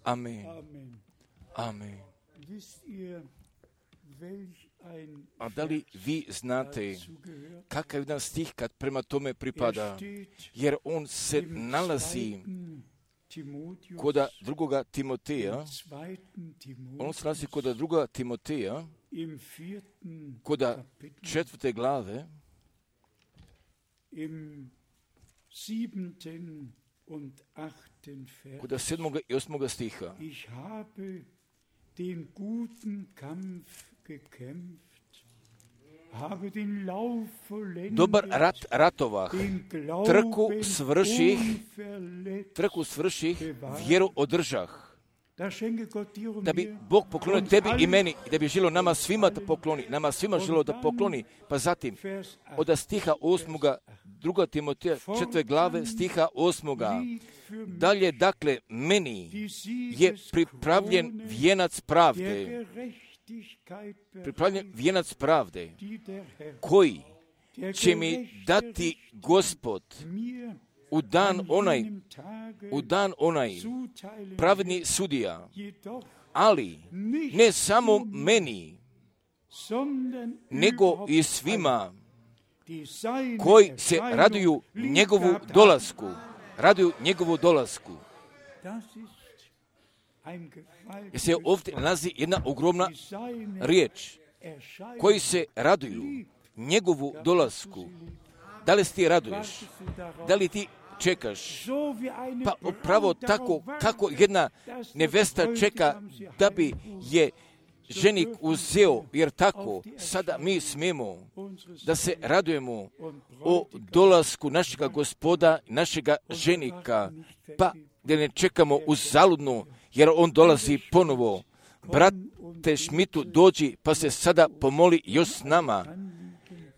Amen. Amen. Amen. A da li vi znate kakav jedan stih kad prema tome pripada? Jer on se nalazi koda drugoga Timoteja, on se nalazi koda drugoga Timoteja, koda četvrte glave, koda sedmoga i osmoga stiha. Dobar rat ratovah, trku svrših, trku svrših, vjeru održah. Da bi Bog poklonio tebi i meni, da bi želio nama svima da pokloni, nama svima želio da pokloni. Pa zatim, od stiha osmoga, druga Timoteja, četvrte glave, stiha osmoga. Dalje, dakle, meni je pripravljen vijenac pravde, pripravljen vijenac pravde, koji će mi dati Gospod u dan onaj, u dan onaj pravedni sudija, ali ne samo meni, nego i svima koji se raduju njegovu dolasku, raduju njegovu dolasku. Jer se ovdje nalazi jedna ogromna riječ, koji se raduju njegovu dolasku. Da li ti raduješ? Da li ti čekaš? Pa upravo tako kako jedna nevesta čeka da bi je ženik uzeo, jer tako sada mi smijemo da se radujemo o dolasku našega Gospoda, našega ženika, pa da ne čekamo uzaludno, jer on dolazi ponovo. Brate Šmitu, dođi pa se sada pomoli još s nama,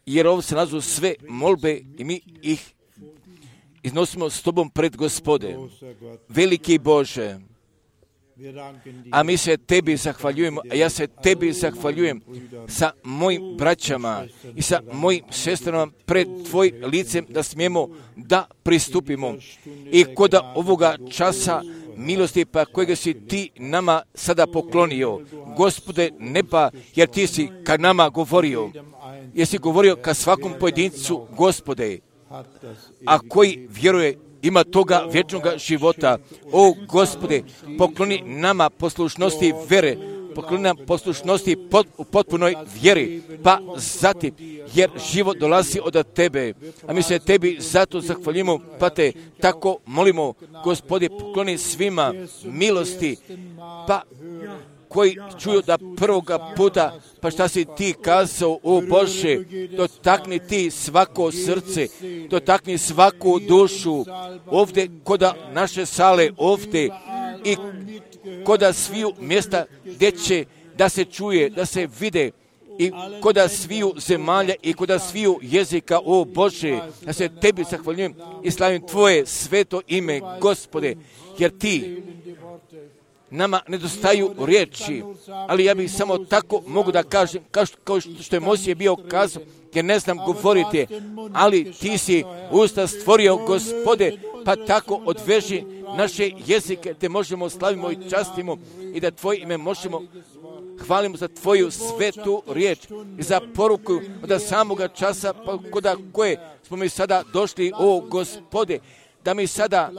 jer ovo se nalazu sve molbe i mi ih iznosimo s tobom pred Gospode. Veliki Bože, a mi se tebi zahvaljujemo, a ja se tebi zahvaljujem sa mojim braćama i sa mojim sestrama pred tvojim licem da smijemo da pristupimo. I koda ovoga časa milosti pa kojega si ti nama sada poklonio, Gospode neba, jer ti si ka nama govorio, jer si govorio ka svakom pojedincu, Gospode, a koji vjeruje ima toga vječnoga života. O Gospode, pokloni nama poslušnosti vere, pokloni nam poslušnosti pot, u potpunoj vjeri, pa zatim, jer život dolazi od tebe, a mi se tebi zato zahvaljujemo, pa te tako molimo, Gospode, pokloni svima milosti, pa koji čuju da prvoga puta, pa šta si ti kazao, o Bože, dotakni ti svako srce, dotakni svaku dušu, ovdje koda naše sale, ovdje i koda sviju mjesta gdje će da se čuje, da se vide, i koda sviju zemalja i koda sviju jezika, o Bože, ja se tebi zahvaljujem i slavim tvoje sveto ime, Gospode, jer ti nama nedostaju riječi, ali ja bih samo tako mogu da kažem, kao što je Mojsije bio kazao, jer ne znam govoriti, ali ti si usta stvorio, Gospode, pa tako odveži naše jezike, te možemo slavimo i častimo i da tvoje ime možemo hvalimo za tvoju svetu riječ i za poruku od samoga časa pa koda koje smo mi sada došli, o Gospode, da mi sada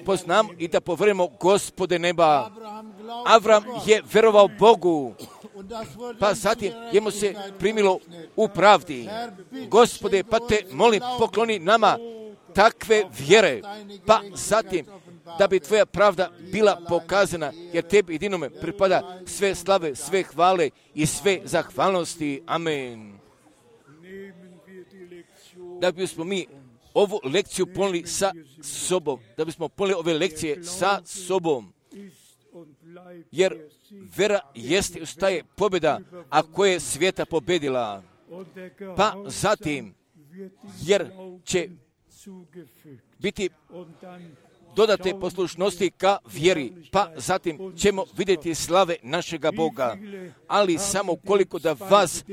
poznamo i da povremo Gospode neba. Avram je verovao Bogu, pa zatim jemu se primilo u pravdi. Gospode, pa te molim, pokloni nama takve vjere, pa zatim da bi tvoja pravda bila pokazana, jer tebi jedinome pripada sve slave, sve hvale i sve zahvalnosti. Amen. Da bismo mi ovu lekciju ponijeli sa sobom, da bismo ponijeli ove lekcije sa sobom, jer vera jeste ustaje pobjeda, a koja je svijeta pobjedila, pa zatim, jer će biti dodate poslušnosti ka vjeri, pa zatim ćemo vidjeti slave našega Boga. Ali samo koliko da vas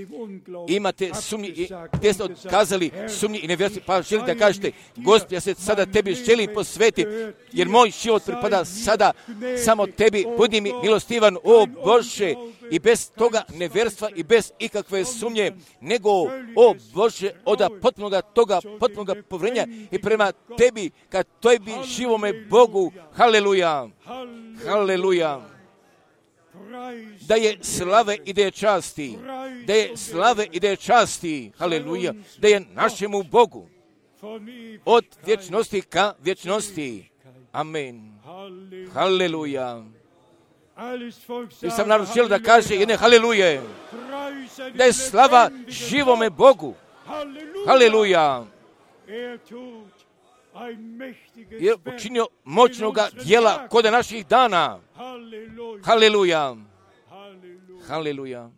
imate sumnji, i gdje ste otkazali sumnji i nevjerstvo, pa želite da kažete, Gospod, ja se sada tebi želim posvetiti, jer moj život pripada sada samo tebi, budi mi milostivan, o Bože, i bez toga nevjerstva i bez ikakve sumnje, nego, o Bože, od potpunoga toga, potpunoga povrenja i prema tebi, ka tebi živome Bogu, haleluja, haleluja, da je slave i da je časti, da je slave i da je časti, haleluja, da je našemu Bogu, od vječnosti ka vječnosti, amen, haleluja. I sam narod želio da kaže jedne haleluje, da je slava živome Bogu, haleluja, je učinio moćnoga djela kod naših dana, haleluja, haleluja.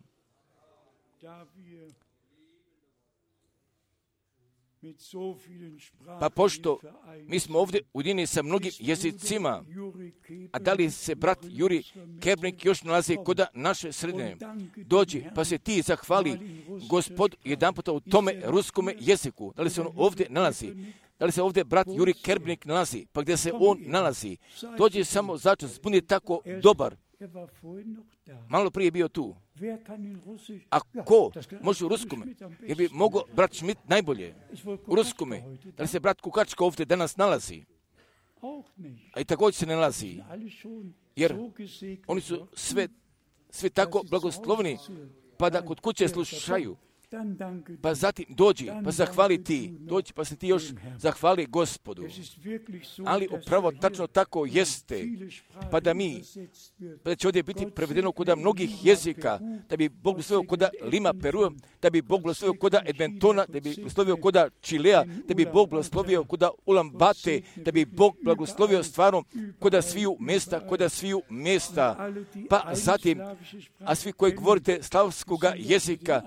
Pa pošto mi smo ovdje ujedinjeni sa mnogim jezicima, a da li se brat Juri Kerbnik još nalazi kod naše sredine, dođi pa se ti zahvali Gospod jedan puta u tome ruskome jeziku, da li se on ovdje nalazi, da li se ovdje brat Juri Kerbnik nalazi, pa gdje se on nalazi, dođi samo začas, budi tako dobar. Malo prije je bio tu. A ko može u ruskome? Jer bi mogao brat Schmidt najbolje u ruskome. Da li se brat Kukačka ovdje danas nalazi? A i također se ne nalazi. Jer oni su sve, sve tako blagoslovni, pa da kod kuće slušaju. Pa zatim dođi, pa zahvali ti, dođi pa se ti još zahvali Gospodu. Ali upravo tačno tako jeste, pa da mi, pa da će ovdje biti prevedeno kod mnogih jezika, da bi Bog blagoslovio kod Lima Perua, da bi Bog blagoslovio kod Edmontona, da bi blagoslovio kod Čilea, da bi Bog blagoslovio kod Ulambate, da bi Bog blagoslovio stvarno kod sviju mjesta, kod sviju mjesta. Pa zatim, a svi koji govorite slavskoga jezika,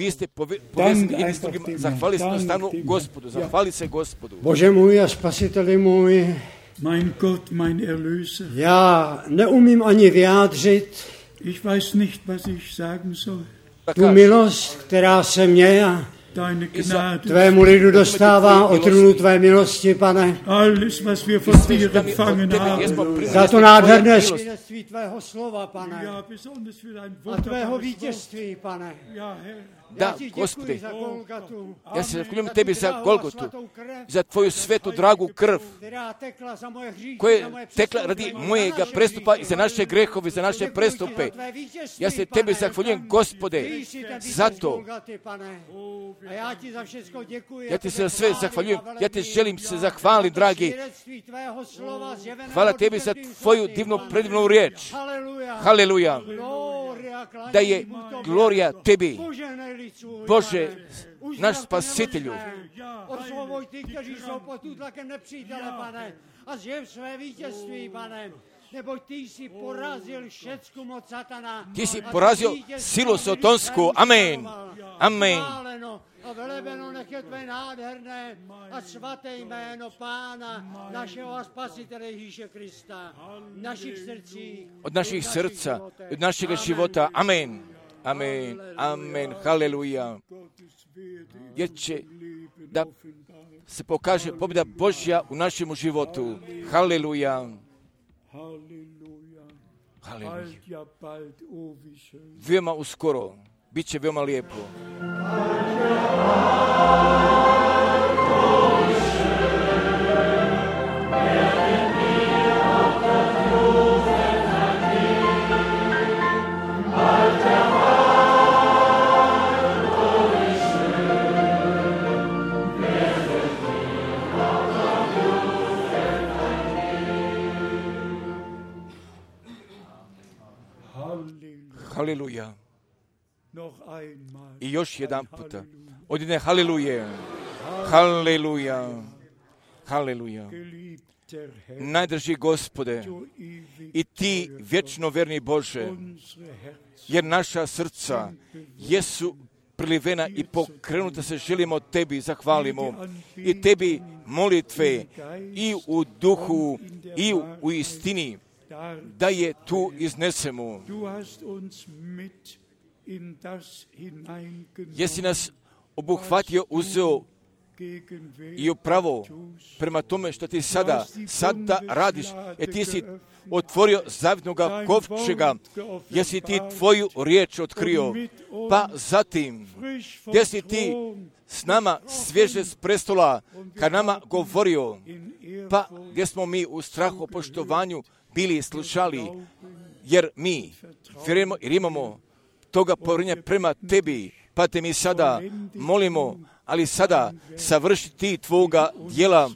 vi ste povezani jedni s drugima, zahvali se stanu Gospodu, zahvali se Gospodu. Bože můj a spasiteli můj, mein Gott, mein Erlöser, já neumím ani vyjádřit ich weiß nicht, was ich sagen soll. tu milost, která se mě a Deine Gnade, tvému lidu dostává o trůnu tvé milosti, pane. alles, was wir von dir empfangen haben. Za to nádherné svědectví tvého slova, pane. Ja, besonders für dein A tvého wunderbares vítězství, pane. Wort. Ja, Herr, Da, Gospode, ja se zahvaljujem tebi za Golgotu, za tvoju svetu, dragu krv, koja je tekla radi mojega prestupa i za naše grehove, za naše prestupe. Ja se tebi zahvaljujem, Gospode, za to. Ja ti se za sve zahvaljujem, ja ti želim se zahvaliti, dragi. Hvala tebi za tvoju divnu, predivnu riječ. Haleluja. Da je glorija tebi, Bože, naš spasitelju. Osvoboj ty, kteří jsou pod tlakem nepřítele, pane, a zjev své vítězství, pane. Neboť ty jsi porazil všecku moc satana. Ti si porazil silu sotonsku. Amen. Amen. A velebeno nech je tvé nádherné a svaté jméno Pána, našeho a Spasitele Ježíše Krista, v našich srdcích, od našich srdca, od našega života. Amen. Amen. Amen. Haleluja. Jer će da se pokaže pobjeda Božja u našem životu. Haleluja. Haleluja. Veoma uskoro. Biće veoma lijepo. Haleluja. I još jedan puta. Odine haleluje. Haleluja. Haleluja. Najdrži Gospode i ti vječno verni Bože, jer naša srca jesu prilivena i pokrenuta se želimo tebi zahvalimo i tebi molitve i u duhu i u, u istini da je tu iznesemo. Jesi nas obuhvatio, uzeo i upravo prema tome što ti sada, sada radiš, jer ti si otvorio zavitnoga kovčega, jesi ti tvoju riječ otkrio, pa zatim, gdje si ti s nama svježe s prestola, kad nama govorio, pa gdje smo mi u strahu poštovanju bili slušali, jer mi vjerujemo jer imamo toga povjerenja prema tebi, pa te mi sada molimo, ali sada savrši ti tvoga djela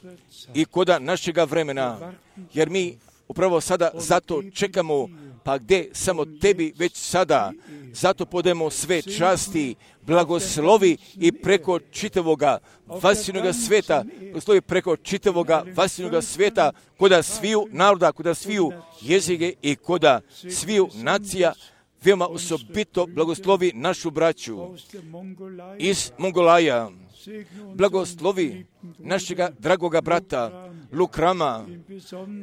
i koda našega vremena, jer mi upravo sada zato čekamo, pa gdje samo tebi već sada, zato podemo sve časti, blagoslovi i preko čitavoga vasinoga sveta, blagoslovi preko čitavoga vasinoga sveta, koda sviju naroda, koda sviju jezike i koda sviju nacija, veoma osobito blagoslovi našu braću iz Mongolaja, blagoslovi našega dragoga brata Lukrama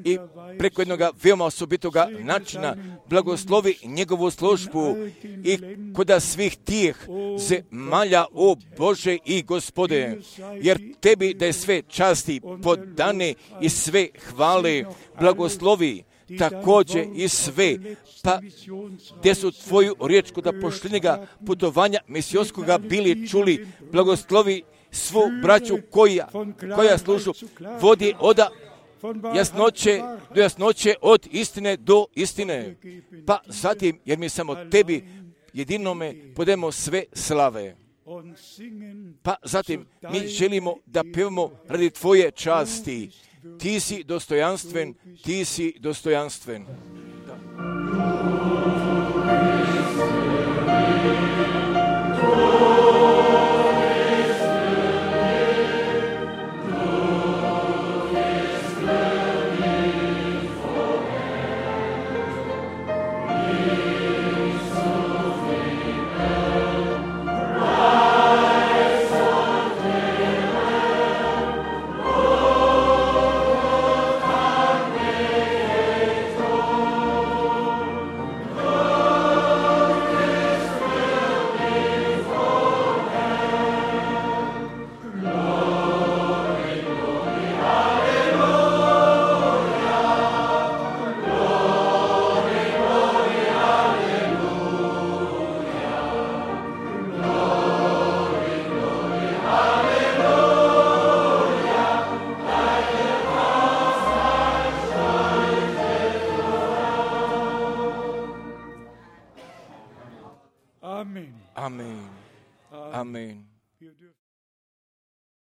i preko jednog veoma osobitoga načina blagoslovi njegovu službu i koda svih tih zemalja, o Bože i Gospode, jer tebi da je sve časti podane i sve hvale, blagoslovi također i sve, pa gdje su tvoju riječ kod poštenjega putovanja misijonskoga bili čuli, blagoslovi svu braću koja, koja služu, vodi oda jasnoće do jasnoće, od istine do istine, pa zatim, jer mi samo tebi jedinome podemo sve slave. Pa zatim mi želimo da pevamo radi tvoje časti. Ti si dostojanstven, ti si dostojanstven. Da. Amen. Amen.